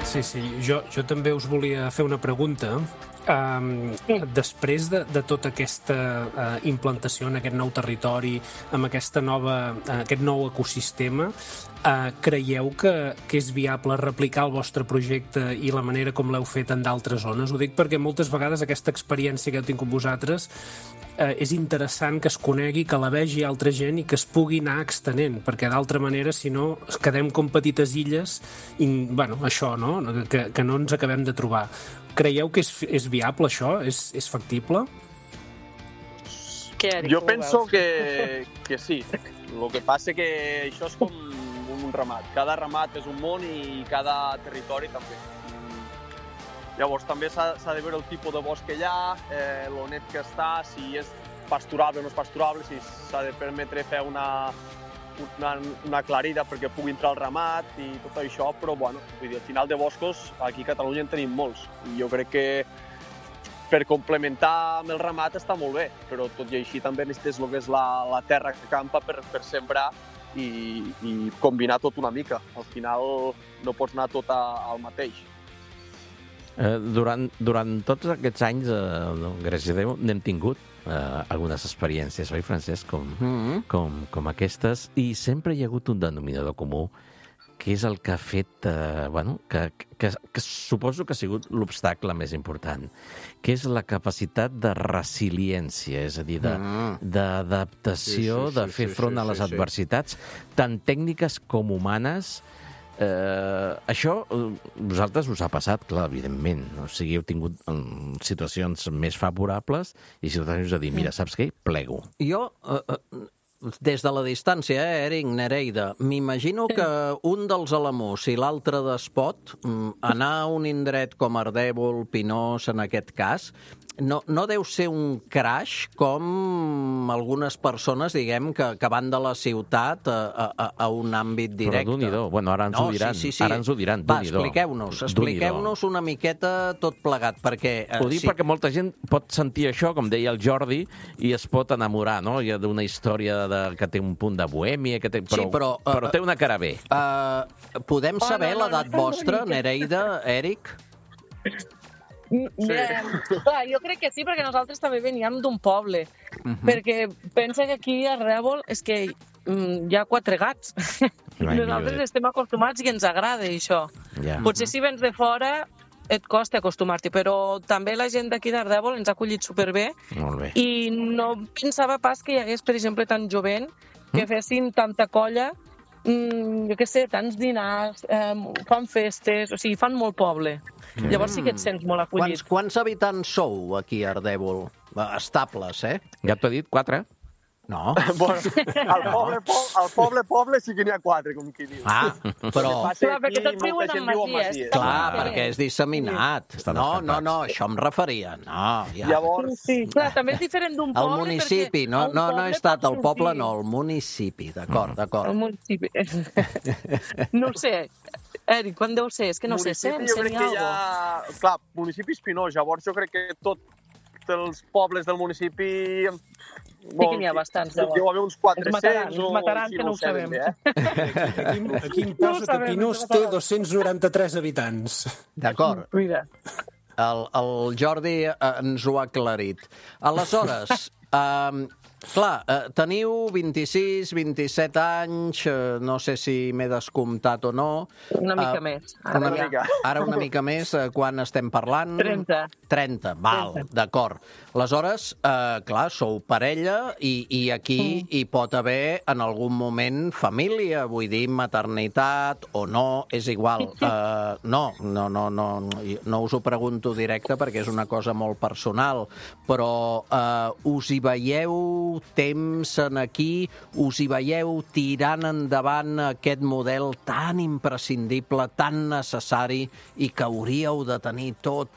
Sí, jo també us volia fer una pregunta. Després de tota aquesta implantació en aquest nou territori, amb aquest nou ecosistema, creieu que és viable replicar el vostre projecte i la manera com l'heu fet en d'altres zones? Ho dic perquè moltes vegades aquesta experiència que heu tingut vosaltres és interessant que es conegui, que la vegi altra gent i que es pugui anar extenent, perquè d'altra manera, si no, quedem com petites illes i, bueno, això, no? Que no ens acabem de trobar. Creieu que és viable, això? És factible? Jo penso que sí. El que passa que això és com un ramat. Cada ramat és un món i cada territori també. Llavors també s'ha de veure el tipus de bosc que hi ha, lo net que està, si és pasturable o no és pasturable, si s'ha de permetre fer una aclarida perquè pugui entrar al ramat i tot això, però bueno, vull dir, al final de boscos aquí a Catalunya en tenim molts. I jo crec que per complementar amb el ramat està molt bé, però tot i així també necessites el que és la terra que campa per sembrar i combinar tot una mica. Al final no pots anar tot al mateix. Durant tots aquests anys, gràcies a Déu, n'hem tingut algunes experiències, oi, Francesc, com aquestes, i sempre hi ha hagut un denominador comú, que és el que ha fet, que suposo que ha sigut l'obstacle més important, que és la capacitat de resiliència, és a dir, d'adaptació, de fer front a les adversitats, tant tècniques com humanes. Això vosaltres us ha passat, clar, evidentment. O sigui, heu tingut situacions més favorables i situacions us ha dit, mira, saps què? Plego. Jo, des de la distància, Eric, Nereida, m'imagino que un dels Alamús i l'altre d'Espot, anar a un indret com Ardèvol, Pinós, en aquest cas, no deu ser un crash com algunes persones, diguem, que van de la ciutat a un àmbit directe. Però d'un-i-do. Bueno, ara ens ho diran. Sí. Ara ens ho diran, Va, d'un-i-do. expliqueu-nos una miqueta tot plegat, perquè... Ho dic perquè molta gent pot sentir això, com deia el Jordi, i es pot enamorar, no? Hi ha d'una història que té un punt de bohèmia, però té una cara bé. Podem saber l'edat vostra, Nereida, Eric? Clar, jo crec que sí, perquè nosaltres també veníem d'un poble. Perquè pensa que aquí a Rèbol és que hi ha 4 gats. Nosaltres estem acostumats i ens agrada això. Potser si vens de fora et costa acostumar-t'hi, però també la gent d'aquí d'Ardèvol ens ha acollit superbé. Molt bé. I no pensava pas que hi hagués, per exemple, tant jovent que fessin tanta colla, jo què sé, tants dinars, fan festes, o sigui, fan molt poble. Llavors sí que et sents molt acollit. Quants habitants sou aquí a Ardèvol? Estables, eh? Ja t'ho he dit, 4. No. Al poble sí que n'hi ha 4, com qui diu. Però... Clar, perquè tots viuen en masies. Clar, perquè és disseminat. No, això em referia. No, ja. Llavors... Sí, clar, també és diferent d'un poble. El municipi, no he estat al poble, no, el municipi, d'acord. El municipi. No ho sé. Eric, quan deu ser? És que no sé, ensenyar alguna cosa. Clar, municipi espinós, llavors jo crec que tots els pobles del municipi... Sí que n'hi ha bastants, llavors. Deu haver uns 400 o... Mataran, que no ho sabem. Aquí em posa que Pinós té 293 habitants. D'acord. Mira. El Jordi ens ho ha aclarit. Aleshores, clar, teniu 26, 27 anys, no sé si m'he descomptat o no. Una mica més. Ara una mica més, quan estem parlant? 30, val, d'acord. Aleshores, clar, sou parella i aquí hi pot haver en algun moment família, vull dir, maternitat o no, és igual. No us ho pregunto directe perquè és una cosa molt personal, però us hi veieu temps en aquí, us hi veieu tirant endavant aquest model tan imprescindible, tan necessari i que hauríeu de tenir tot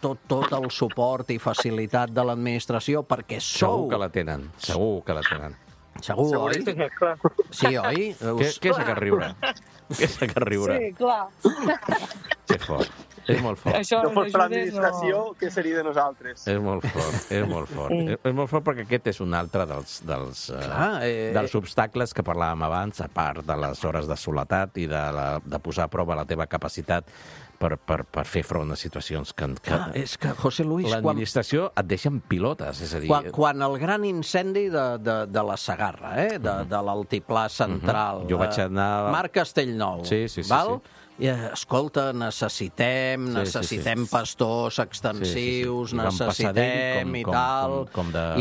el suport i facilitat de l'administració perquè sou... Segur que la tenen. Segur, oi? Sí, oi? Què és aquest riure? Sí, clar. Que fort. És molt fort. Això no fos per l'administració, què seria de nosaltres? És molt fort. És molt fort perquè aquest és un altre dels obstacles que parlàvem abans, a part de les hores de soledat i de posar a prova la teva capacitat per fer front a situacions que és que, José Luis, l'administració et deixa en pilotes, és a dir... Quan el gran incendi de la Segarra, de l'altiplà central... Jo vaig anar... Marc Castellnou, val? I, escolta, necessitem pastors extensius, necessitem i tal,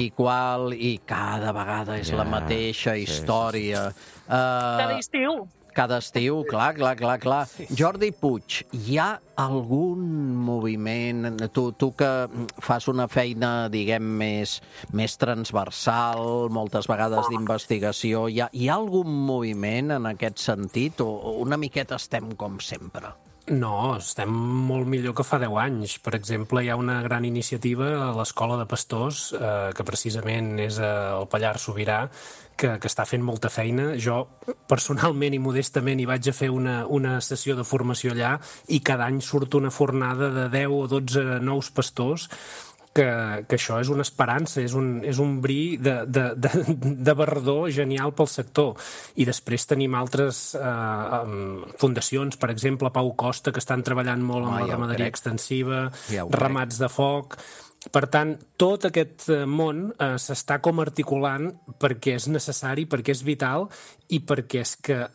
i qual, i cada vegada és la mateixa història. Cada estiu, clar. Jordi Puig, hi ha algun moviment, tu que fas una feina, diguem, més transversal, moltes vegades d'investigació, hi ha algun moviment en aquest sentit o una miqueta estem com sempre? No, estem molt millor que fa 10 anys. Per exemple, hi ha una gran iniciativa a l'Escola de Pastors, que precisament és al Pallars Sobirà, que està fent molta feina. Jo, personalment i modestament, hi vaig a fer una sessió de formació allà i cada any surt una fornada de 10 o 12 nous pastors que això és una esperança, és un bri de barredor genial pel sector. I després tenim altres fundacions, per exemple, Pau Costa, que estan treballant molt amb la ramaderia extensiva, ramats de foc... Per tant, tot aquest món s'està com articulant perquè és necessari, perquè és vital i perquè és que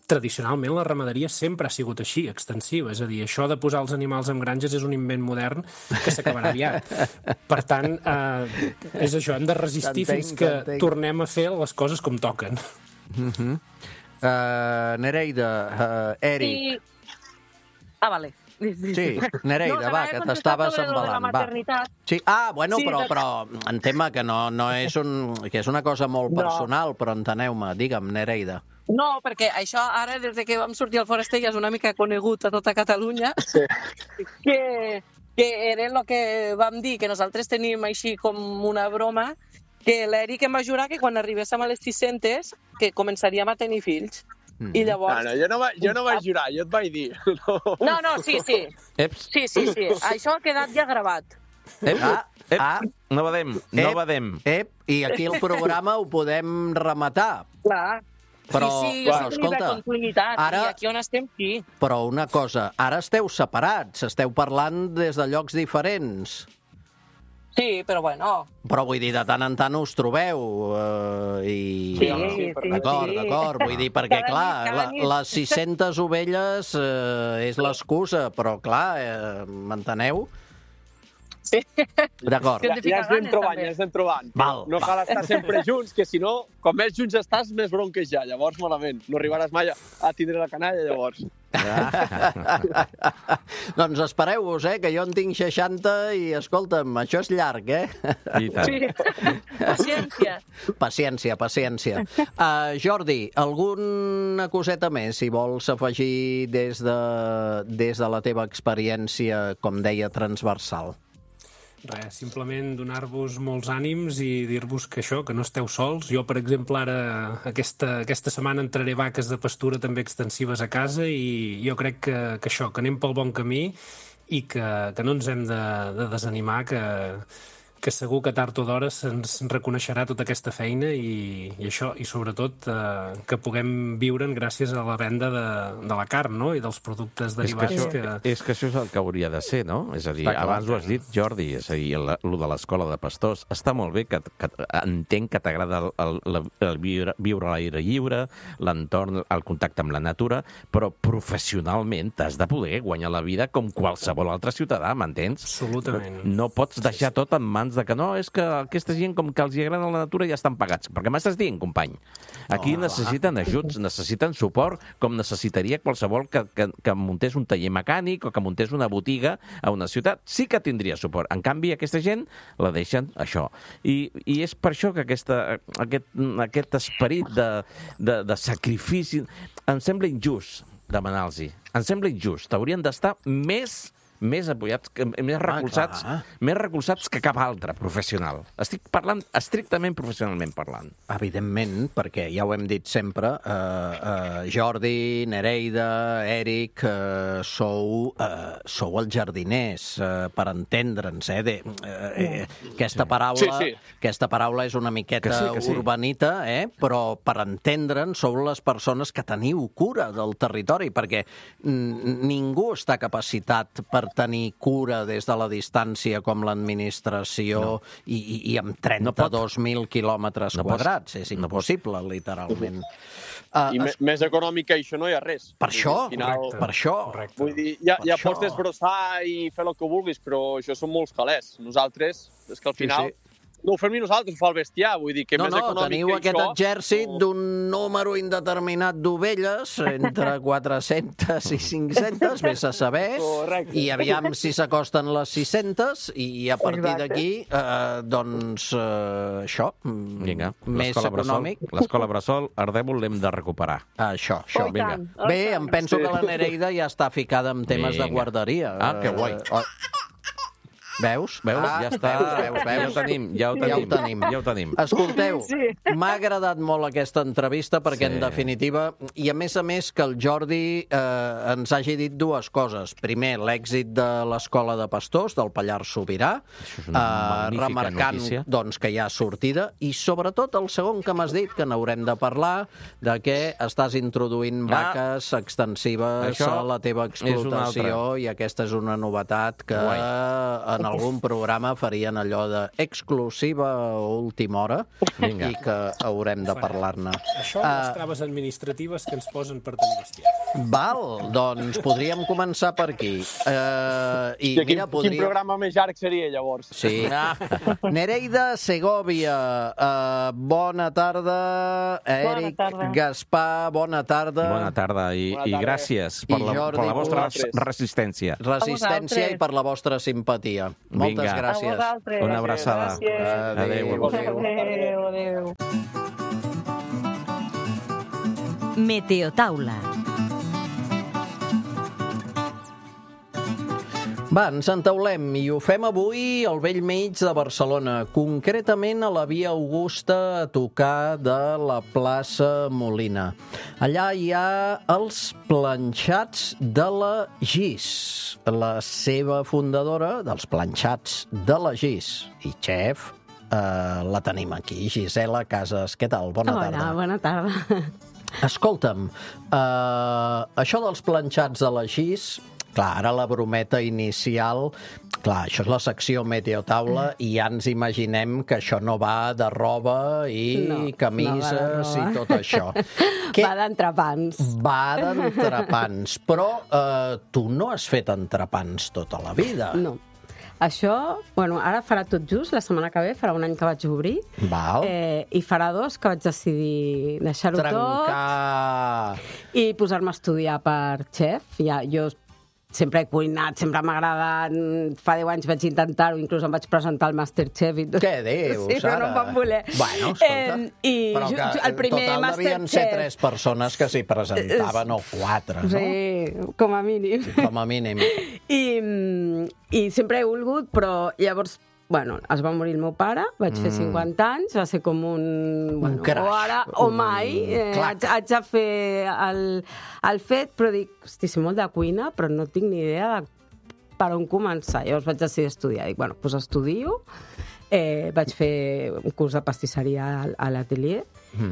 tradicionalment la ramaderia sempre ha sigut així, extensiva. És a dir, això de posar els animals en granges és un invent modern que s'acabarà aviat. Per tant, és això, hem de resistir fins que tornem a fer les coses com toquen. Nereida, Eric... Vale. Sí, Nereida, va, que t'estaves embalant. Sí, bueno, però en tema que no és que és una cosa molt personal, però enteneu-me, digue'm, Nereida. No, perquè això ara, des que vam sortir al Foraster, ja és una mica conegut a tota Catalunya, que era el que vam dir, que nosaltres tenim així com una broma, que l'Eric em va jurar que quan arribéssim a les 600 que començaríem a tenir fills. I llavors... Jo no vaig jurar, jo et vaig dir. No, sí. Sí. Això ha quedat ja gravat. No badem. I aquí el programa ho podem rematar. Clar. Però, escolta, ara... I aquí on estem, sí. Però una cosa, ara esteu separats, esteu parlant des de llocs diferents. Sí, però bueno... Però vull dir, de tant en tant us trobeu i... Sí. D'acord, vull dir, perquè clar, les 600 ovelles és l'excusa, però clar, m'enteneu? Sí. D'acord. Ja ens anem trobant. No cal estar sempre junts, que si no, com més junts estàs, més bronques ja. Llavors, malament. No arribaràs mai a tindre la canalla, llavors. Doncs espereu-vos, que jo en tinc 60 i, escolta'm, això és llarg, I tant. Sí. Paciència. Jordi, alguna coseta més, si vols afegir des de la teva experiència, com deia, transversal? Res, simplement donar-vos molts ànims i dir-vos que això, que no esteu sols. Jo, per exemple, ara aquesta setmana entraré vaques de pastura també extensives a casa i jo crec que això, que anem pel bon camí i que no ens hem de desanimar, que segur que tard o d'hora se'ns reconeixerà tota aquesta feina i això, i sobretot que puguem viure'n gràcies a la venda de la carn, no?, i dels productes derivats. És que això és el que hauria de ser, no? És a dir, abans ho has dit, Jordi, és a dir, el de l'escola de pastors. Està molt bé, que entenc que t'agrada el viure a l'aire lliure, l'entorn, el contacte amb la natura, però professionalment t'has de poder guanyar la vida com qualsevol altre ciutadà, m'entens? Absolutament. No pots deixar tot en mans de que no, és que aquesta gent com que els agrada la natura ja estan pagats. Perquè m'estàs dient, company? Aquí necessiten ajuts, necessiten suport, com necessitaria qualsevol que muntés un taller mecànic o que muntés una botiga a una ciutat. Sí que tindria suport. En canvi, aquesta gent la deixen això. I és per això que aquest esperit de sacrifici em sembla injust demanar-los-hi. Em sembla injust. Haurien d'estar més apoyats, més recolzats que cap altre professional. Estic parlant estrictament professionalment parlant. Evidentment, perquè ja ho hem dit sempre, Jordi, Nereida, Eric, sou els jardiners, per entendre'ns, aquesta paraula és una miqueta urbanita, però per entendre'ns sou les persones que teniu cura del territori, perquè ningú està capacitat per tenir cura des de la distància com l'administració i amb 32.000 quilòmetres quadrats. És impossible, literalment. I més econòmic que això no hi ha res. Per això. Vull dir, ja pots desbrossar i fer el que vulguis, però això són molts calés. Nosaltres, és que al final... No ho fem ni nosaltres, ho fa el bestiar, vull dir que més econòmic teniu que aquest exèrcit d'un número indeterminat d'ovelles, entre 400 i 500, vés a saber, i aviam si s'acosten les 600, i a partir d'aquí, doncs, això, més econòmic. L'escola Bressol, Ardèvol, l'hem de recuperar. Això. Bé, em penso que la Nereida ja està ficada en temes de guarderia. Que guai. Veus? Ja està. Ja ho tenim. Escolteu, m'ha agradat molt aquesta entrevista perquè, en definitiva, i a més que el Jordi ens hagi dit dues coses. Primer, l'èxit de l'Escola de Pastors del Pallars Sobirà, remarcant que hi ha sortida, i sobretot el segon que m'has dit, que n'haurem de parlar, de que estàs introduint vaques extensives a la teva explotació, i aquesta és una novetat que en algun programa farien allò d'exclusiva a última hora i que haurem de parlar-ne. Això les traves administratives que ens posen per tenir bestiar. Val, doncs podríem començar per aquí. Quin programa més llarg seria, llavors? Sí. Nereida Segovia, bona tarda. Eric Gaspar, bona tarda. Bona tarda i gràcies per la vostra resistència. Resistència i per la vostra simpatia. Moltes gràcies. Una abraçada. Adéu. Meteotaula. Va, ens entaulem i ho fem avui al vell mig de Barcelona, concretament a la Via Augusta, a tocar de la plaça Molina. Allà hi ha els planxats de la Gis, la seva fundadora dels planxats de la Gis i xef. La tenim aquí, Gisela Casas. Què tal? Bona tarda. Hola, bona tarda. Escolta'm, això dels planxats de la Gis, clar, ara la brometa inicial, clar, això és la secció Meteotaula i ja ens imaginem que això no va de roba i camises i tot això. Va d'entrepans. Va d'entrepans, però tu no has fet entrepans tota la vida. No. Això, bueno, ara farà tot just, la setmana que ve, farà un any que vaig obrir. Val. I farà 2 que vaig decidir deixar-ho tot i posar-me a estudiar per xef. Ja, jo sempre he cuinat, sempre m'ha agradat. Fa 10 anys vaig intentar-ho, inclús em vaig presentar al Masterchef i tot. Què dius, sí, però no em van voler. Bueno, escolta, però que el primer total devien ser 3 persones que s'hi presentaven, o 4, no? Sí, com a mínim. Com a mínim. I sempre he volgut, però llavors, bueno, es va morir el meu pare, vaig fer 50 anys, va ser com un crash. O ara o mai, haig de fer el fet, però dic, hosti, sé molt de cuina, però no tinc ni idea de per on començar. Llavors vaig decidir estudiar. Dic, bueno, doncs estudio, vaig fer un curs de pastisseria a l'atelier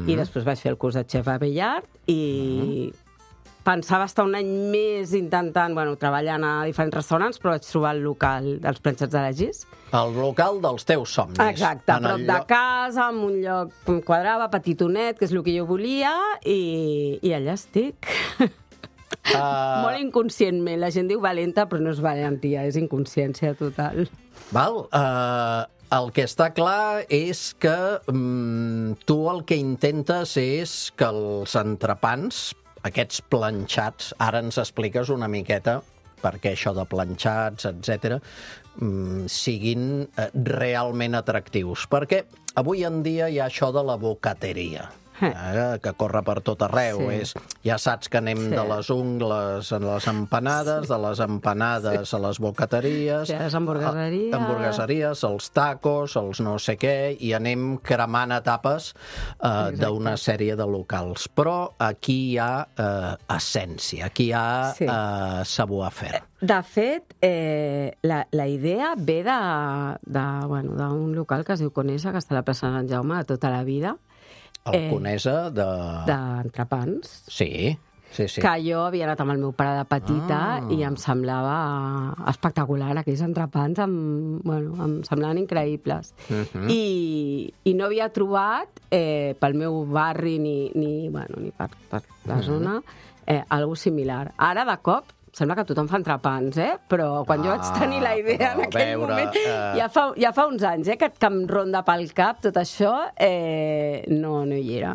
i després vaig fer el curs de xef a Bellart i pensava estar un any més intentant, bueno, treballant a diferents restaurants, però vaig trobar el local dels planxats de la Gis. El local dels teus somnis. Exacte, a prop de casa, en un lloc que em quadrava, petitonet, que és el que jo volia, i allà estic. Molt inconscientment. La gent diu valenta, però no és valentia, és inconsciència total. Val. El que està clar és que tu el que intentes és que els entrepans, aquests planxats, ara ens expliques una miqueta perquè això de planxats, etc., siguin realment atractius. Perquè avui en dia hi ha això de la bocateria, que corre per tot arreu. Ja saps que anem de les ungles a les empanades, de les empanades a les bocateries, a les hamburgueseries, els tacos, els no sé què, i anem cremant etapes d'una sèrie de locals. Però aquí hi ha essència, aquí hi ha savoir-faire. De fet, la idea ve d'un local que es diu Conesa, que està a la plaça de Sant Jaume de tota la vida. El Conesa d'entrepans. Sí. Que jo havia anat amb el meu pare de petita i em semblava espectacular. Aquells entrepans em semblaven increïbles. I no havia trobat pel meu barri ni per la zona alguna similar. Ara, de cop, sembla que tothom fa entrepans, però quan jo vaig tenir la idea en aquell moment, ja fa uns anys, que em ronda pel cap tot això, no hi era.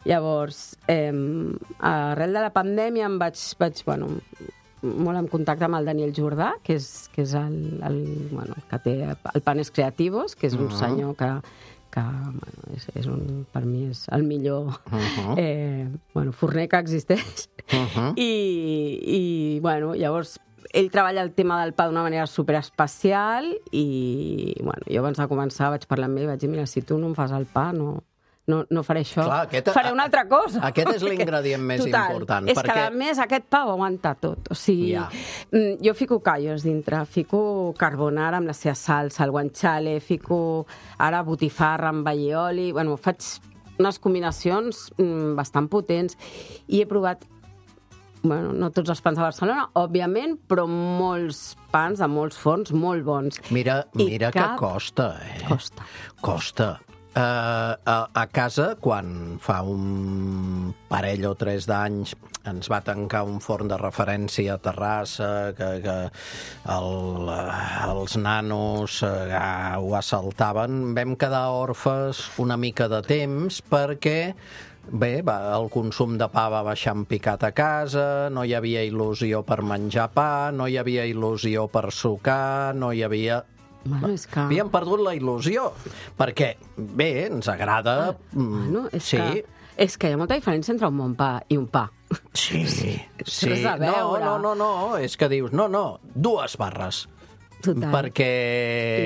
Llavors, arrel de la pandèmia em vaig molt en contacte amb el Daniel Jordà, que és el que té el Panes Creativos, que és un senyor que per mi és el millor forner que existeix. I llavors ell treballa el tema del pa d'una manera superespecial i jo abans de començar vaig parlar amb ell i vaig dir, mira, si tu no em fas el pa, no faré això. Faré una altra cosa. Aquest és l'ingredient més important. És que, a més, aquest pa ho aguanta tot. O sigui, jo fico callos dintre, fico carbonara amb la seva salsa, el guanciale, fico ara botifarra amb allioli. Bueno, faig unes combinacions bastant potents i he provat, no tots els pans de Barcelona, òbviament, però molts pans de molts forns molt bons. Mira que costa, Costa. A casa, quan fa un parell o 3 d'anys ens va tancar un forn de referència a Terrassa, que els nanos ho assaltaven, vam quedar orfes una mica de temps perquè el consum de pa va baixar en picat a casa, no hi havia il·lusió per menjar pa, no hi havia il·lusió per sucar, no hi havia... Havíem perdut la il·lusió, perquè, ens agrada... És que hi ha molta diferència entre un bon pa i un pa. Sí. No, és que dius, 2 barres. Total. Perquè...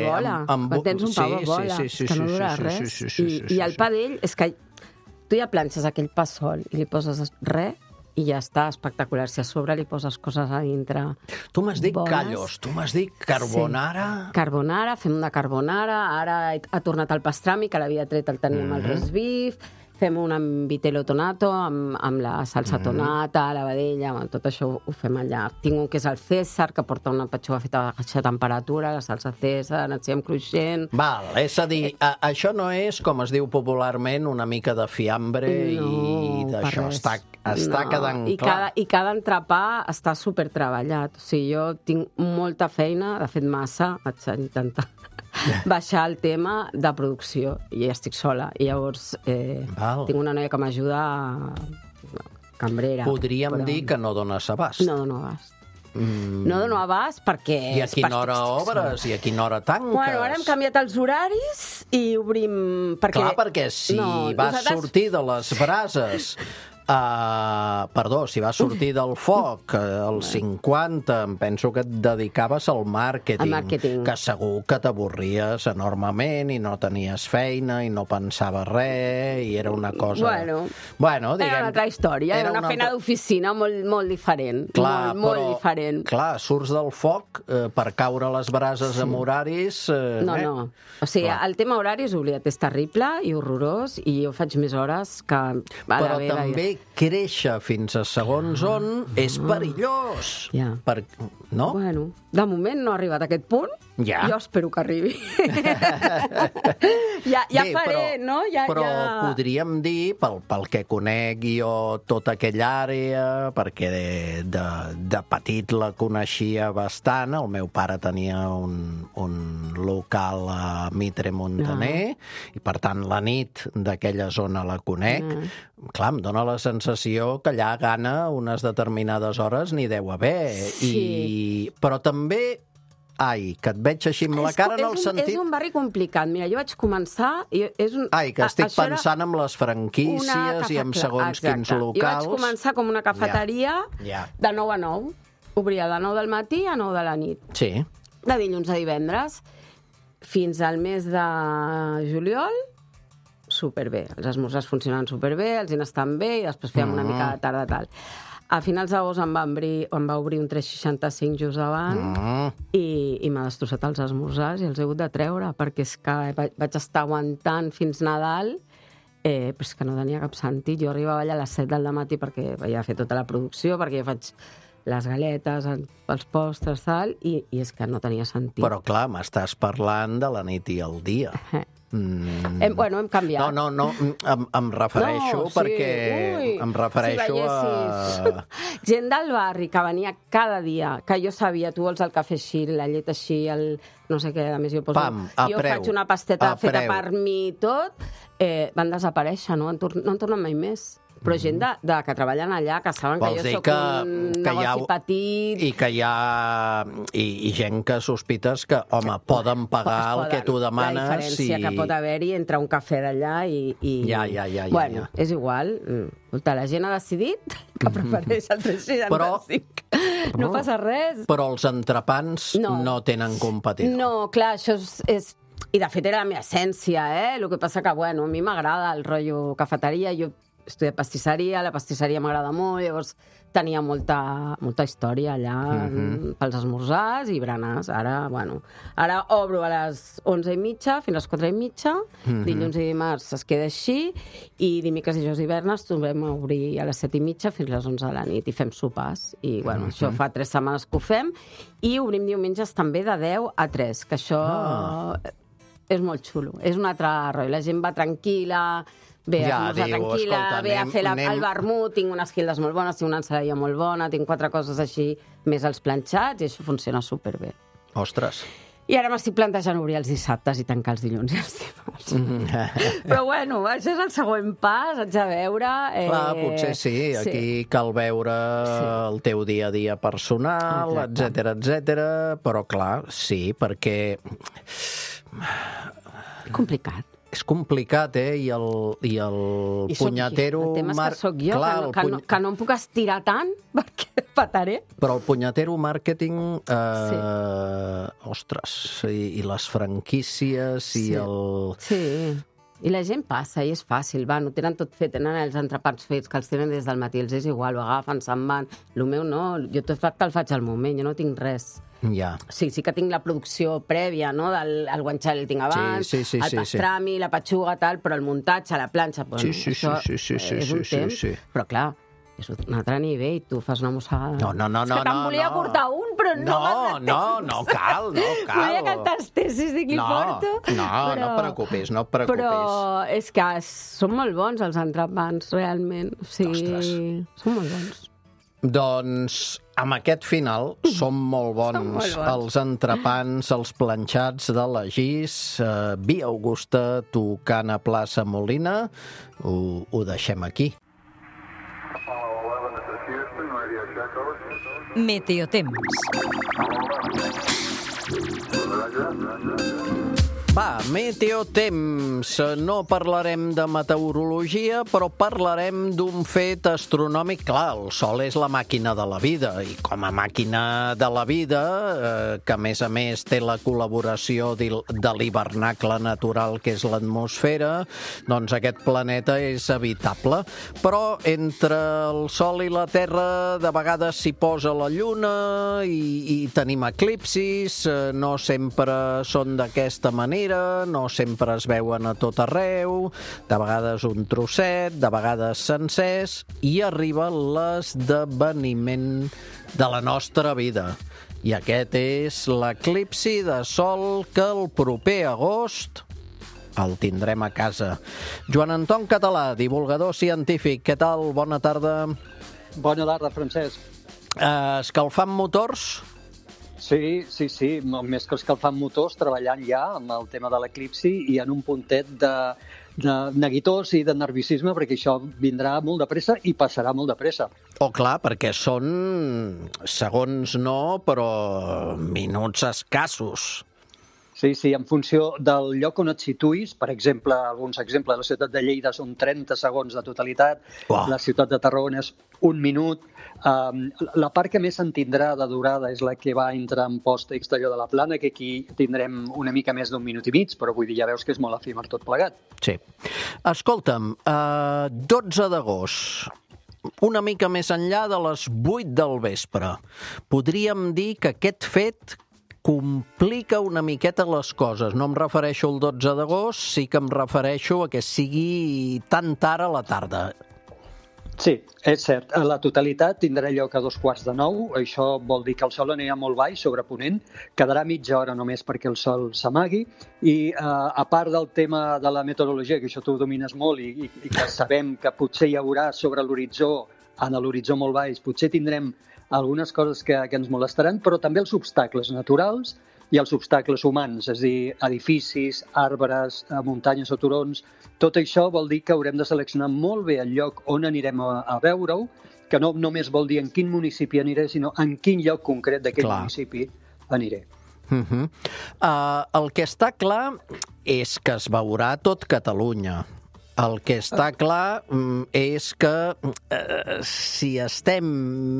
I vola. Quan tens un pavo, vola. És que no dura res. I el pa d'ell és que tu ja planxes aquell pa sol i li poses res i ja està espectacular. Si a sobre li poses coses a dintre... Tu m'has dit callos, tu m'has dit carbonara... Sí. Carbonara, fem una carbonara, ara ha tornat el pastrami, que l'havia tret, el teníem al roast beef, fem un amb vitello tonato, amb la salsa tonata, la vedella, tot això ho fem allà. Tinc un que és el César, que porta una petxuga feta a baixa temperatura, la salsa César, enciem cruixent... Val, és a dir, això no és, com es diu popularment, una mica de fiambre i d'això. Està quedant clar. I cada entrepà està supertreballat. O sigui, jo tinc molta feina, de fet massa, vaig intentar baixar el tema de producció i estic sola. I llavors tinc una noia que m'ajuda, cambrera. Podríem dir que no dones abast. No dono abast. No dono abast perquè... I a quina hora obres? I a quina hora tanques? Bueno, ara hem canviat els horaris i obrim... Clar, perquè si vas sortir de les brases... si vas sortir del foc als 50, em penso que et dedicaves al màrqueting, que segur que t'avorries enormement i no tenies feina i no pensaves res i era una cosa... Bueno, diguem, era una altra història, era una feina d'oficina molt diferent. Clar, molt diferent. Clar, surts del foc per caure a les brases amb horaris... No. O sigui, el tema horaris, oblida't, és terrible i horrorós i jo faig més hores que... Però també créixer fins a segons on és perillós. No? Bueno, de moment no ha arribat a aquest punt. Jo espero que arribi. Ja faré, no? Però podríem dir, pel que conec jo tota aquella àrea, perquè de petit la coneixia bastant, el meu pare tenia un local a Mitre Montaner, i per tant la nit d'aquella zona la conec. Clar, em dóna la sensació que allà gana unes determinades hores n'hi deu haver. Però també... que et veig així amb la cara en el sentit... És un barri complicat. Mira, jo vaig començar... que estic pensant en les franquícies i en segons quins locals. Jo vaig començar com una cafeteria de 9 a 9. Obria de 9 del matí a 9 de la nit. Sí. De dilluns a divendres. Fins al mes de juliol, superbé. Els esmorzars funcionaven superbé, els diners estan bé, i després fèiem una mica de tarda tal. A finals d'agost em va obrir un 365 just abans i m'ha destrossat els esmorzars i els he hagut de treure perquè és que vaig estar aguantant fins Nadal, però és que no tenia cap sentit. Jo arribava allà a les 7 del matí perquè havia fet tota la producció, perquè jo faig les galetes, els postres, tal, i és que no tenia sentit. Però clar, m'estàs parlant de la nit i el dia. Hem canviat. No, em refereixo perquè... Em refereixo a... Gent del barri que venia cada dia, que jo sabia, tu vols el cafè així, la llet així, el no sé què, a més jo poso... Jo faig una pasteta feta per mi i tot, van desaparèixer, no han tornat mai més. Però gent que treballen allà, que saben que jo soc un negoci petit... I que hi ha gent que sospites que, home, poden pagar el que tu demanes. La diferència que pot haver-hi entre un cafè d'allà i... Bueno, és igual. La gent ha decidit que prefereix el 365. No passa res. Però els entrepans no tenen competidor. No, clar, això és... I de fet era la meva essència, El que passa que, bueno, a mi m'agrada el rotllo cafeteria, jo he estudiat pastisseria, la pastisseria m'agrada molt, llavors tenia molta història allà pels esmorzars i berenars. Ara obro a les 11:30 fins a les 4:30, dilluns i dimarts es queda així, i dimecres, dijous i divendres tornem a obrir a les 7:30 fins a les 11 de la nit i fem sopars. I, bueno, això fa 3 setmanes que ho fem, i obrim diumenges també de 10 a 3, que això és molt xulo. És un altre rotllo. La gent va tranquil·la, ve a esmorzar tranquil·la, ve a fer el vermut, tinc unes guildes molt bones, tinc una ensaladilla molt bona, tinc 4 coses així, més els planxats, i això funciona superbé. Ostres! I ara m'estic plantejant obrir els dissabtes i tancar els dilluns i els dimarts. Però bueno, això és el següent pas, haig de veure... Clar, potser sí, aquí cal veure el teu dia a dia personal, etcètera, però clar, sí, perquè... Complicat. És complicat, I el punyatero... El tema és que sóc jo, que no em puc estirar tant, perquè pataré. Però el punyatero màrqueting, ostres, i les franquícies i el... Sí, i la gent passa, i és fàcil, no tenen tot fet, tenen els entrepans fets, que els tenen des del matí, els és igual, ho agafen, se'n van. El meu no, jo tot que el faig al moment, jo no tinc res. Ja. Sí que tinc la producció prèvia, no? Del guanciale el tinc abans, el pastrami, la patxuga, tal, però el muntatge, la planxa, això és un temps. Però clar, és un altre nivell, tu fas una mossegada. No. És que te'n volia portar un, però no cal. Volia que el tastessis, dic, li porto. No et preocupis. Però és que són molt bons els entrepans, realment. Ostres. Són molt bons. Doncs amb aquest final són molt bons els entrepans, els planxats de la Gis, Via Augusta, tocant a plaça Molina. Ho deixem aquí. Meteotemps. Va, meteotemps. No parlarem de meteorologia, però parlarem d'un fet astronòmic. Clar, el Sol és la màquina de la vida, i com a màquina de la vida, que a més té la col·laboració de l'hivernacle natural, que és l'atmosfera, doncs aquest planeta és habitable. Però entre el Sol i la Terra de vegades s'hi posa la Lluna i tenim eclipsis, no sempre són d'aquesta manera, no sempre es veuen a tot arreu, de vegades un trosset, de vegades sencers, i arriba l'esdeveniment de la nostra vida. I aquest és l'eclipsi de Sol, que el proper agost el tindrem a casa. Joan Anton Català, divulgador científic, què tal? Bona tarda. Bona tarda, Francesc. Escalfant motors? Sí, més que escalfant motors, treballant ja amb el tema de l'eclipsi i en un puntet de neguitós i de nerviosisme, perquè això vindrà molt de pressa i passarà molt de pressa. Clar, perquè són segons no, però minuts escassos. Sí, en funció del lloc on et situïs, per exemple, alguns exemples, la ciutat de Lleida són 30 segons de totalitat, la ciutat de Tarragona és 1 minut, la part que més se'n tindrà de durada és la que va entre Amposta i Castelló de la Plana, que aquí tindrem una mica més d'1 minut i mig, però vull dir, ja veus que és molt efímer tot plegat. Sí. Escolta'm, 12 d'agost, una mica més enllà de les 8 del vespre, podríem dir que aquest fet complica una miqueta les coses. No em refereixo al 12 d'agost, sí que em refereixo a que sigui tan tard a la tarda. Sí, és cert. La totalitat tindrà lloc a 9:15. Això vol dir que el sol anirà molt baix sobre Ponent, quedarà mitja hora només perquè el sol s'amagui, i a part del tema de la meteorologia, que això tu domines molt i que sabem que potser hi haurà sobre l'horitzó, en l'horitzó molt baix, potser tindrem algunes coses que ens molestaran, però també els obstacles naturals i els obstacles humans, és a dir, edificis, arbres, muntanyes o turons. Tot això vol dir que haurem de seleccionar molt bé el lloc on anirem a veure-ho, que no només vol dir en quin municipi aniré, sinó en quin lloc concret d'aquell municipi aniré. El que està clar és que es veurà tot Catalunya. El que està clar és que si estem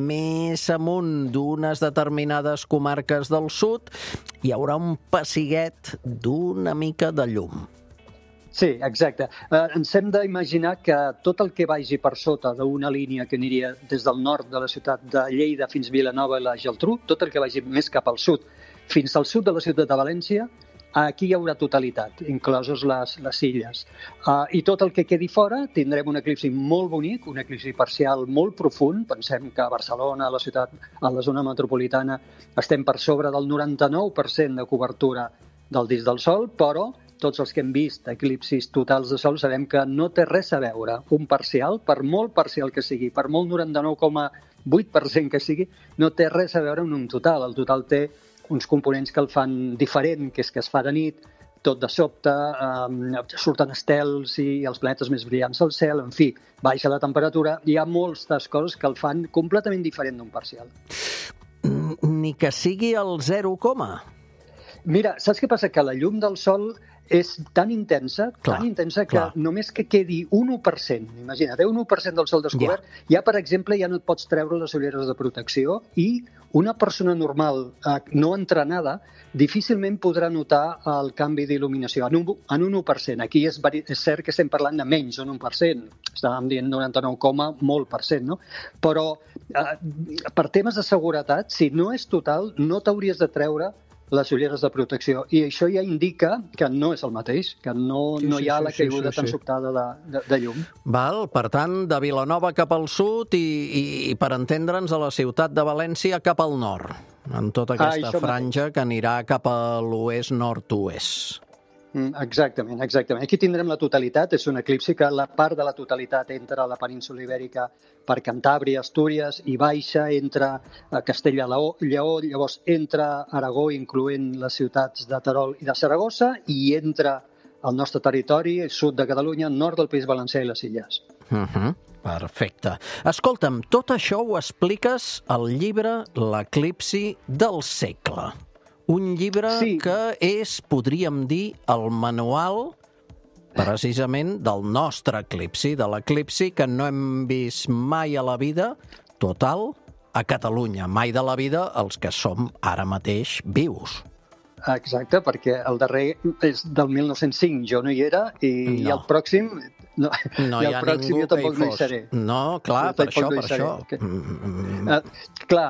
més amunt d'unes determinades comarques del sud, hi haurà un pessiguet d'una mica de llum. Sí, exacte. Ens hem d'imaginar que tot el que vagi per sota d'una línia que aniria des del nord de la ciutat de Lleida fins Vilanova i la Geltrú, tot el que vagi més cap al sud, fins al sud de la ciutat de València, aquí hi haurà totalitat, incloses les illes. I tot el que quedi fora tindrem un eclipsi molt bonic, un eclipsi parcial molt profund. Pensem que a Barcelona, a la ciutat, a la zona metropolitana, estem per sobre del 99% de cobertura del disc del Sol, però tots els que hem vist eclipsis totals de Sol sabem que no té res a veure. Un parcial, per molt parcial que sigui, per molt 99,8% que sigui, no té res a veure amb un total. El total té uns components que el fan diferent, que és que es fa de nit, tot de sobte, surten estels i els planetes més brillants al cel, en fi, baixa la temperatura, hi ha moltes coses que el fan completament diferent d'un parcial. Ni que sigui el 0, Mira, saps què passa? Que la llum del Sol és tan intensa que només que quedi un 1%, imagina't, un 1% del sol descobert, ja, per exemple, ja no et pots treure les ulleres de protecció i una persona normal, no entrenada, difícilment podrà notar el canvi d'il·luminació en un 1%. Aquí és cert que estem parlant de menys d'un 1%, estàvem dient 99, molt per cent, no? Però per temes de seguretat, si no és total, no t'hauries de treure les ulleres de protecció. I això ja indica que no és el mateix, que no hi ha la caiguda tan sobtada de llum. Val, per tant, de Vilanova cap al sud i per entendre'ns, a la ciutat de València cap al nord, en tota aquesta franja que anirà cap a l'oest-nord-oest. Exactament. Aquí tindrem la totalitat, és un eclipsi que la part de la totalitat entra a la península ibèrica per Cantàbria, Astúries, i baixa, entra a Castella-Lleó, llavors entra Aragó, incloent les ciutats de Terol i de Saragossa, i entra al nostre territori, sud de Catalunya, nord del País Valencià i les Illes. Perfecte. Escolta'm, tot això ho expliques al llibre L'eclipsi del segle. Un llibre que és, podríem dir, el manual precisament del nostre eclipsi, de l'eclipsi que no hem vist mai a la vida total a Catalunya, mai de la vida els que som ara mateix vius. Exacte, perquè el darrer és del 1905, jo no hi era, i el pròxim... No hi ha ningú que hi fos. No, clar, per això. Clar,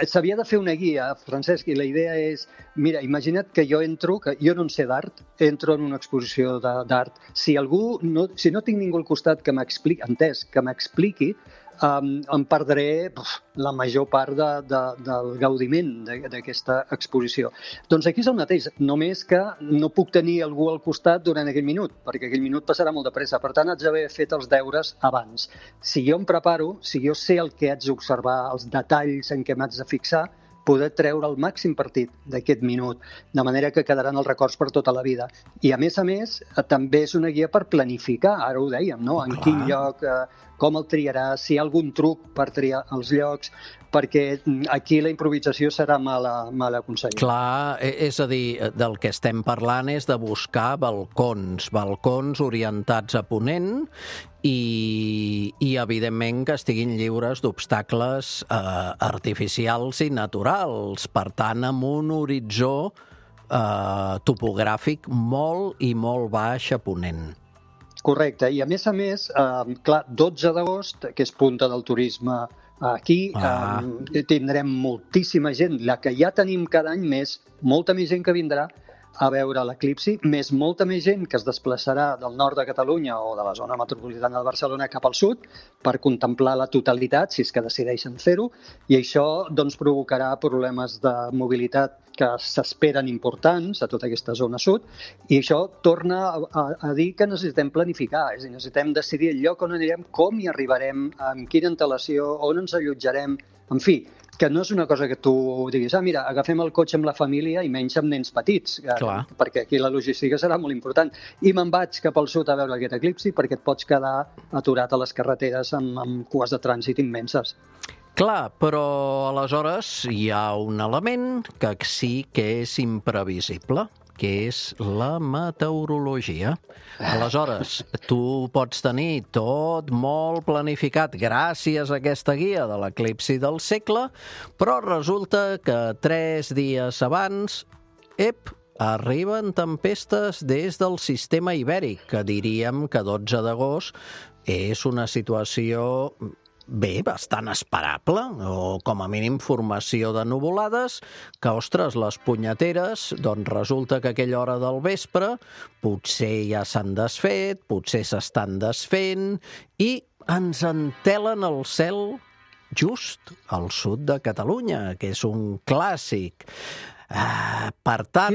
s'havia de fer una guia, Francesc, i la idea és, mira, imagina't que jo entro, que jo no en sé d'art, entro en una exposició d'art. Si no tinc ningú al costat que m'expliqui, em perdré la major part del gaudiment d'aquesta exposició. Doncs aquí és el mateix, només que no puc tenir algú al costat durant aquell minut, perquè aquell minut passarà molt de pressa. Per tant, haig d'haver fet els deures abans. Si jo em preparo, si jo sé el que haig d'observar, els detalls en què m'haig de fixar, poder treure el màxim partit d'aquest minut, de manera que quedaran els records per tota la vida. I, a més, també és una guia per planificar, ara ho dèiem, no? En quin lloc, com el triaràs, si hi ha algun truc per triar els llocs, perquè aquí la improvisació serà mal aconsellada. Clar, és a dir, del que estem parlant és de buscar balcons orientats a ponent i evidentment que estiguin lliures d'obstacles artificials i naturals, per tant, amb un horitzó topogràfic molt i molt baix a ponent. Correcte, i a més, clar, 12 d'agost, que és punta del turisme aquí, tindrem moltíssima gent, la que ja tenim cada any més, molta més gent que vindrà a veure l'eclipsi, més molta més gent que es desplaçarà del nord de Catalunya o de la zona metropolitana de Barcelona cap al sud per contemplar la totalitat, si és que decideixen fer-ho, i això doncs provocarà problemes de mobilitat que s'esperen importants a tota aquesta zona sud, i això torna a dir que necessitem planificar, és a dir, necessitem decidir el lloc on anirem, com hi arribarem, amb quina antelació, on ens allotjarem, en fi, que no és una cosa que tu diguis, mira, agafem el cotxe amb la família i menys amb nens petits, perquè aquí la logística serà molt important. I me'n vaig cap al sud a veure aquest eclipsi perquè et pots quedar aturat a les carreteres amb cues de trànsit immenses. Clar, però aleshores hi ha un element que sí que és imprevisible, que és la meteorologia. Aleshores, tu pots tenir tot molt planificat gràcies a aquesta guia de l'eclipsi del segle, però resulta que 3 dies abans, arriben tempestes des del sistema ibèric, que diríem que 12 d'agost és una situació bastant esperable, o com a mínim formació de nuvolades, que, ostres, les punyeteres, doncs resulta que a aquella hora del vespre potser ja s'han desfet, potser s'estan desfent, i ens entelen el cel just al sud de Catalunya, que és un clàssic. Per tant...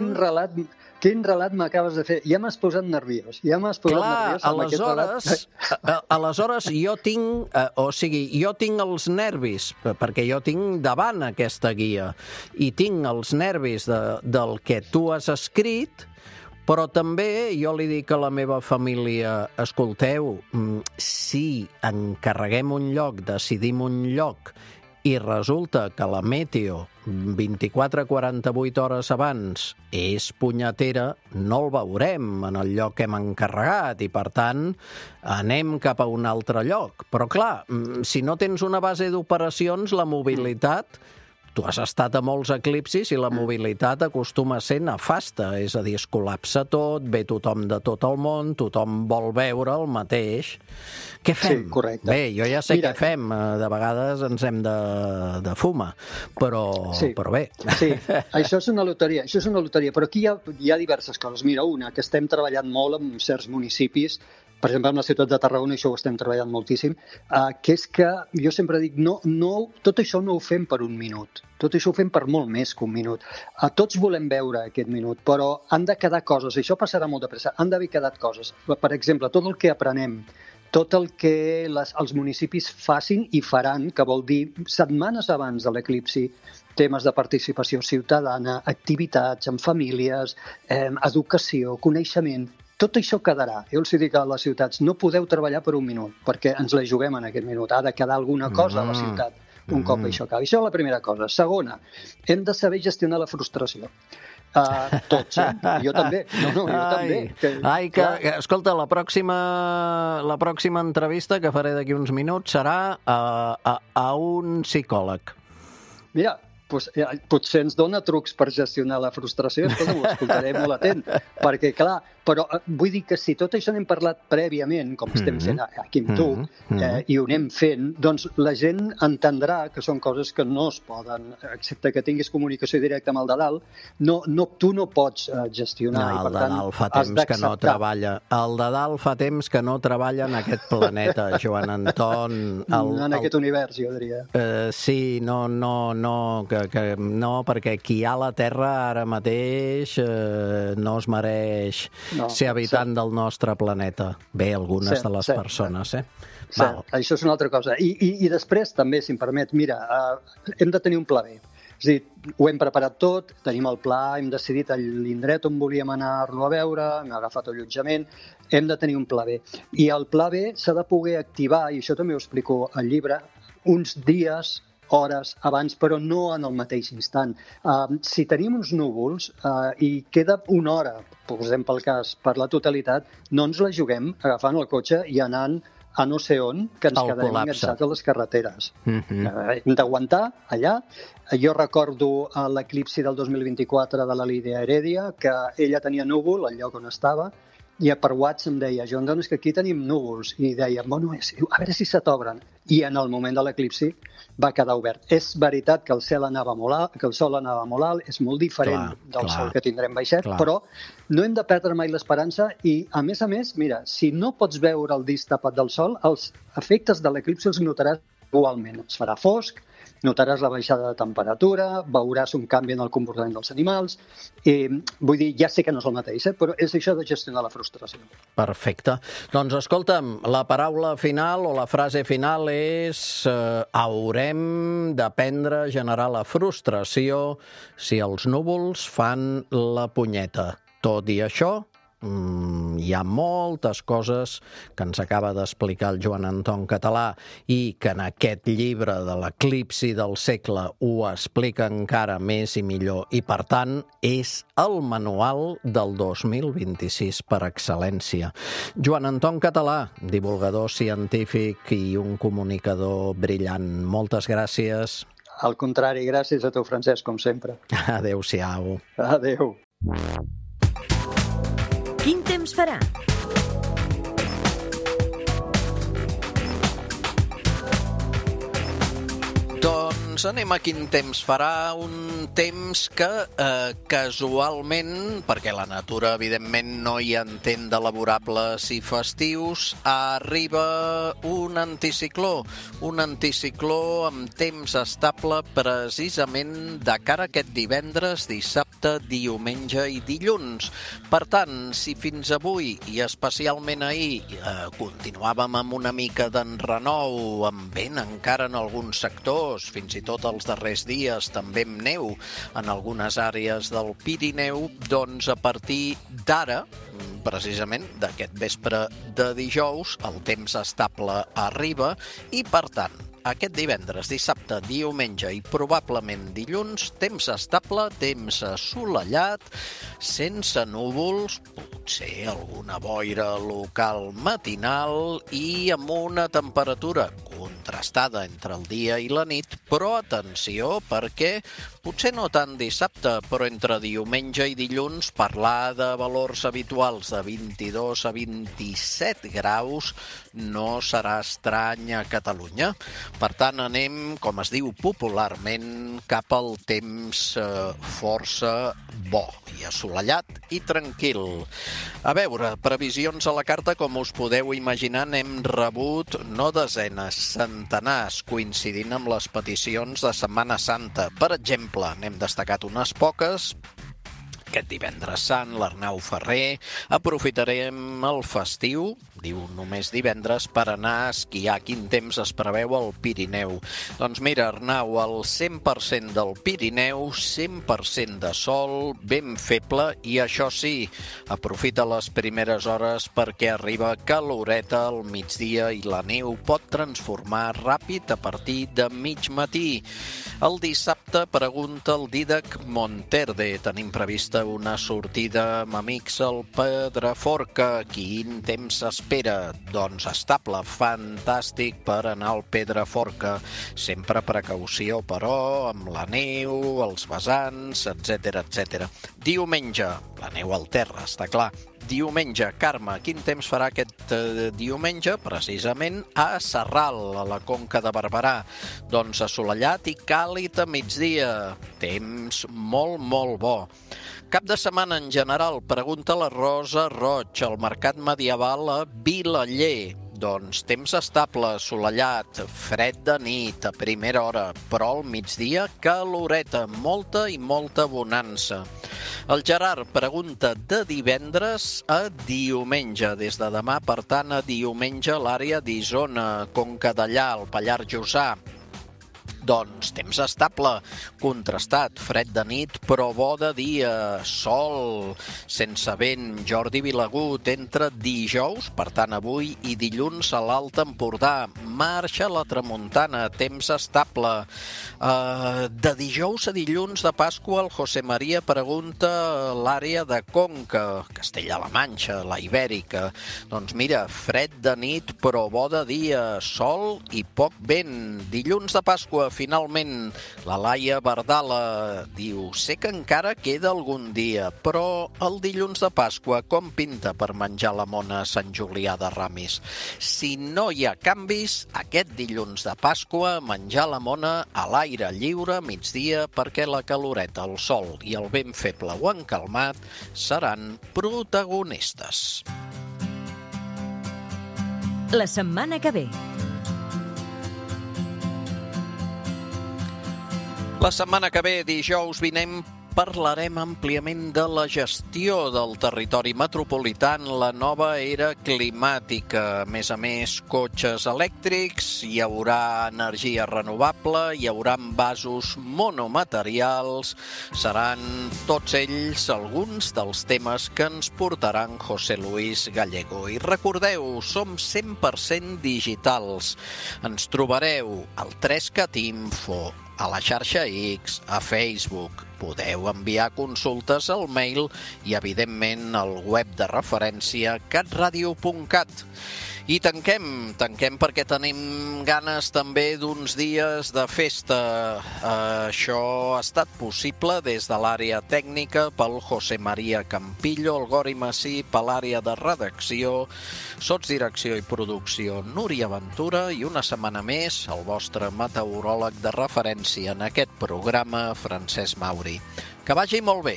Quin relat m'acabes de fer? Ja m'has posat nerviós. Aleshores jo tinc els nervis, perquè jo tinc davant aquesta guia, i tinc els nervis del que tu has escrit, però també jo li dic a la meva família, escolteu, si encarreguem un lloc, decidim un lloc, i resulta que la meteo 24-48 hores abans és punyetera, no el veurem en el lloc que hem encarregat i, per tant, anem cap a un altre lloc. Però, clar, si no tens una base d'operacions, la mobilitat... Tu has estat a molts eclipsis i la mobilitat acostuma a ser nefasta, és a dir, es col·lapsa tot, ve tothom de tot el món, tothom vol veure el mateix. Què fem? Sí, correcte. Bé, jo ja sé què fem, de vegades ens hem de fumar, però bé. Sí, això és una loteria, però aquí hi ha diverses coses. Mira, una, que estem treballant molt en certs municipis, per exemple, en la ciutat de Tarragona, això ho estem treballant moltíssim, que és que jo sempre dic, tot això no ho fem per un minut, tot això ho fem per molt més que un minut. Tots volem veure aquest minut, però han de quedar coses, i això passarà molt de pressa, han d'haver quedat coses. Per exemple, tot el que aprenem, tot el que els municipis facin i faran, que vol dir setmanes abans de l'eclipsi, temes de participació ciutadana, activitats amb famílies, educació, coneixement... Tot això quedarà. Jo els dic a les ciutats, no podeu treballar per un minut, perquè ens la juguem en aquest minut. Ha de quedar alguna cosa a la ciutat un cop això acabi. Això és la primera cosa. Segona, hem de saber gestionar la frustració. Tots, Jo també. Jo també. Escolta, la pròxima entrevista que faré d'aquí uns minuts serà a un psicòleg. Mira, potser ens dona trucs per gestionar la frustració, ho escoltaré molt atent, perquè, clar, però vull dir que si tot això n'hem parlat prèviament, com estem fent aquí amb tu, i ho anem fent, doncs la gent entendrà que són coses que no es poden, excepte que tinguis comunicació directa amb el de dalt, tu no pots gestionar. El de dalt fa temps que no treballa. El de dalt fa temps que no treballa en aquest planeta, Joan Anton. En aquest univers, jo diria. Sí, no, perquè qui hi ha a la Terra ara mateix no es mereix ser habitant del nostre planeta. Bé, algunes de les persones, Això és una altra cosa. I després, també, si em permet, mira, hem de tenir un pla B. És a dir, ho hem preparat tot, tenim el pla, hem decidit l'indret on volíem anar-lo a veure, hem agafat allotjament, hem de tenir un pla B. I el pla B s'ha de poder activar, i això també ho explico al llibre, uns dies, hores abans, però no en el mateix instant. Si tenim uns núvols i queda una hora, posem pel cas, per la totalitat, no ens la juguem agafant el cotxe i anant a no sé on, que ens quedarem enganxats a les carreteres. Hem d'aguantar allà. Jo recordo l'eclipsi del 2024 de la Lídia Heredia, que ella tenia núvol al lloc on estava, i per WhatsApp em deia, Joan, és que aquí tenim núvols. I deia, bueno, a veure si se t'obren. I en el moment de l'eclipsi va quedar obert. És veritat que el sol anava molt alt, és molt diferent del sol que tindrem baixet, però no hem de perdre mai l'esperança i, a més, mira, si no pots veure el disc tapat del sol, els efectes de l'eclipsi els notaràs igualment. Es farà fosc, notaràs la baixada de temperatura, veuràs un canvi en el comportament dels animals. Vull dir, ja sé que no és el mateix, però és això de gestionar la frustració. Perfecte. Doncs escolta'm, la paraula final o la frase final és haurem d'aprendre a generar la frustració si els núvols fan la punyeta. Tot i això, hi ha moltes coses que ens acaba d'explicar el Joan Anton Català i que en aquest llibre de l'eclipsi del segle ho explica encara més i millor i, per tant, és el manual del 2026 per excel·lència. Joan Anton Català, divulgador científic i un comunicador brillant. Moltes gràcies. Al contrari, gràcies a tu, Francesc, com sempre. Adéu-siau. Adéu. Quin temps farà? Doncs anem a quin temps farà, un temps que casualment, perquè la natura evidentment no hi entén de laborables i festius, arriba un anticicló amb temps estable precisament de cara a aquest divendres, dissabte, diumenge i dilluns. Per tant, si fins avui i especialment ahir continuàvem amb una mica d'enrenou, amb vent encara en alguns sectors, fins i tot els darrers dies també amb neu en algunes àrees del Pirineu, doncs a partir d'ara, precisament d'aquest vespre de dijous, el temps estable arriba i, per tant, aquest divendres, dissabte, diumenge i probablement dilluns, temps estable, temps assolellat, sense núvols, potser alguna boira local matinal i amb una temperatura contrastada entre el dia i la nit, però atenció perquè potser no tant dissabte, però entre diumenge i dilluns parlar de valors habituals de 22 a 27 graus no serà estrany a Catalunya. Per tant, anem, com es diu popularment, cap al temps força bo i assolellat i tranquil. A veure, previsions a la carta, com us podeu imaginar, n'hem rebut no desenes, centenars, coincidint amb les peticions de Setmana Santa. Per exemple, n'hem destacat unes poques. Aquest divendres sant, l'Arnau Ferrer, aprofitarem el festiu, diu només divendres, per anar a esquiar. Quin temps es preveu al Pirineu? Doncs mira, Arnau, el 100% del Pirineu, 100% de sol, ben feble, i això sí, aprofita les primeres hores perquè arriba caloreta al migdia i la neu pot transformar ràpid a partir de mig matí. El dissabte, pregunta el Dídac Monterde, tenim prevista una sortida amb amics al Pedraforca. Quin temps s'espera? Doncs estable, fantàstic per anar al Pedraforca. Sempre precaució, però, amb la neu, els vessants, etc. Diumenge, la neu al terra, està clar. Diumenge, Carme, quin temps farà aquest diumenge? Precisament a Sarral, a la Conca de Barberà. Doncs assolellat i càlid a migdia. Temps molt bo. Cap de setmana en general, pregunta la Rosa Roig, al Mercat Medieval a Vilaller. Doncs temps estable, assolellat, fred de nit a primera hora, però al migdia caloreta, molta i molta bonança. El Gerard pregunta de divendres a diumenge, des de demà, per tant, a diumenge a l'àrea d'Isona, Conca Dellà, al Pallars Jussà. Doncs temps estable, contrastat, fred de nit, però bo de dia, sol, sense vent. Jordi Vilagut, entre dijous, per tant avui, i dilluns a l'Alt Empordà. Marxa la tramuntana, temps estable. De dijous a dilluns de Pasqua, el José María pregunta l'àrea de Conca, Castella-La Manxa, la Ibèrica. Doncs mira, fred de nit, però bo de dia, sol i poc vent. Dilluns de Pasqua, finalment, la Laia Bardala diu: sé que encara queda algun dia, però el dilluns de Pasqua com pinta per menjar la mona a Sant Julià de Ramis? Si no hi ha canvis, aquest dilluns de Pasqua menjar la mona a l'aire lliure a migdia, perquè la caloreta, el sol i el vent feble o encalmat seran protagonistes. La setmana que ve. La setmana que ve, dijous vinent, parlarem àmpliament de la gestió del territori metropolità en la nova era climàtica. A més, cotxes elèctrics, hi haurà energia renovable, hi haurà envasos monomaterials. Seran tots ells alguns dels temes que ens portaran José Luis Gallego. I recordeu, som 100% digitals. Ens trobareu al 3cat Info, a la xarxa X, a Facebook. Podeu enviar consultes al mail i, evidentment, al web de referència catradio.cat. I tanquem perquè tenim ganes també d'uns dies de festa. Això ha estat possible des de l'àrea tècnica pel José María Campillo, el Gori Massí, per l'àrea de redacció, sotsdirecció i producció Núria Ventura, i una setmana més el vostre meteoròleg de referència en aquest programa, Francesc Mauri. Que vagi molt bé.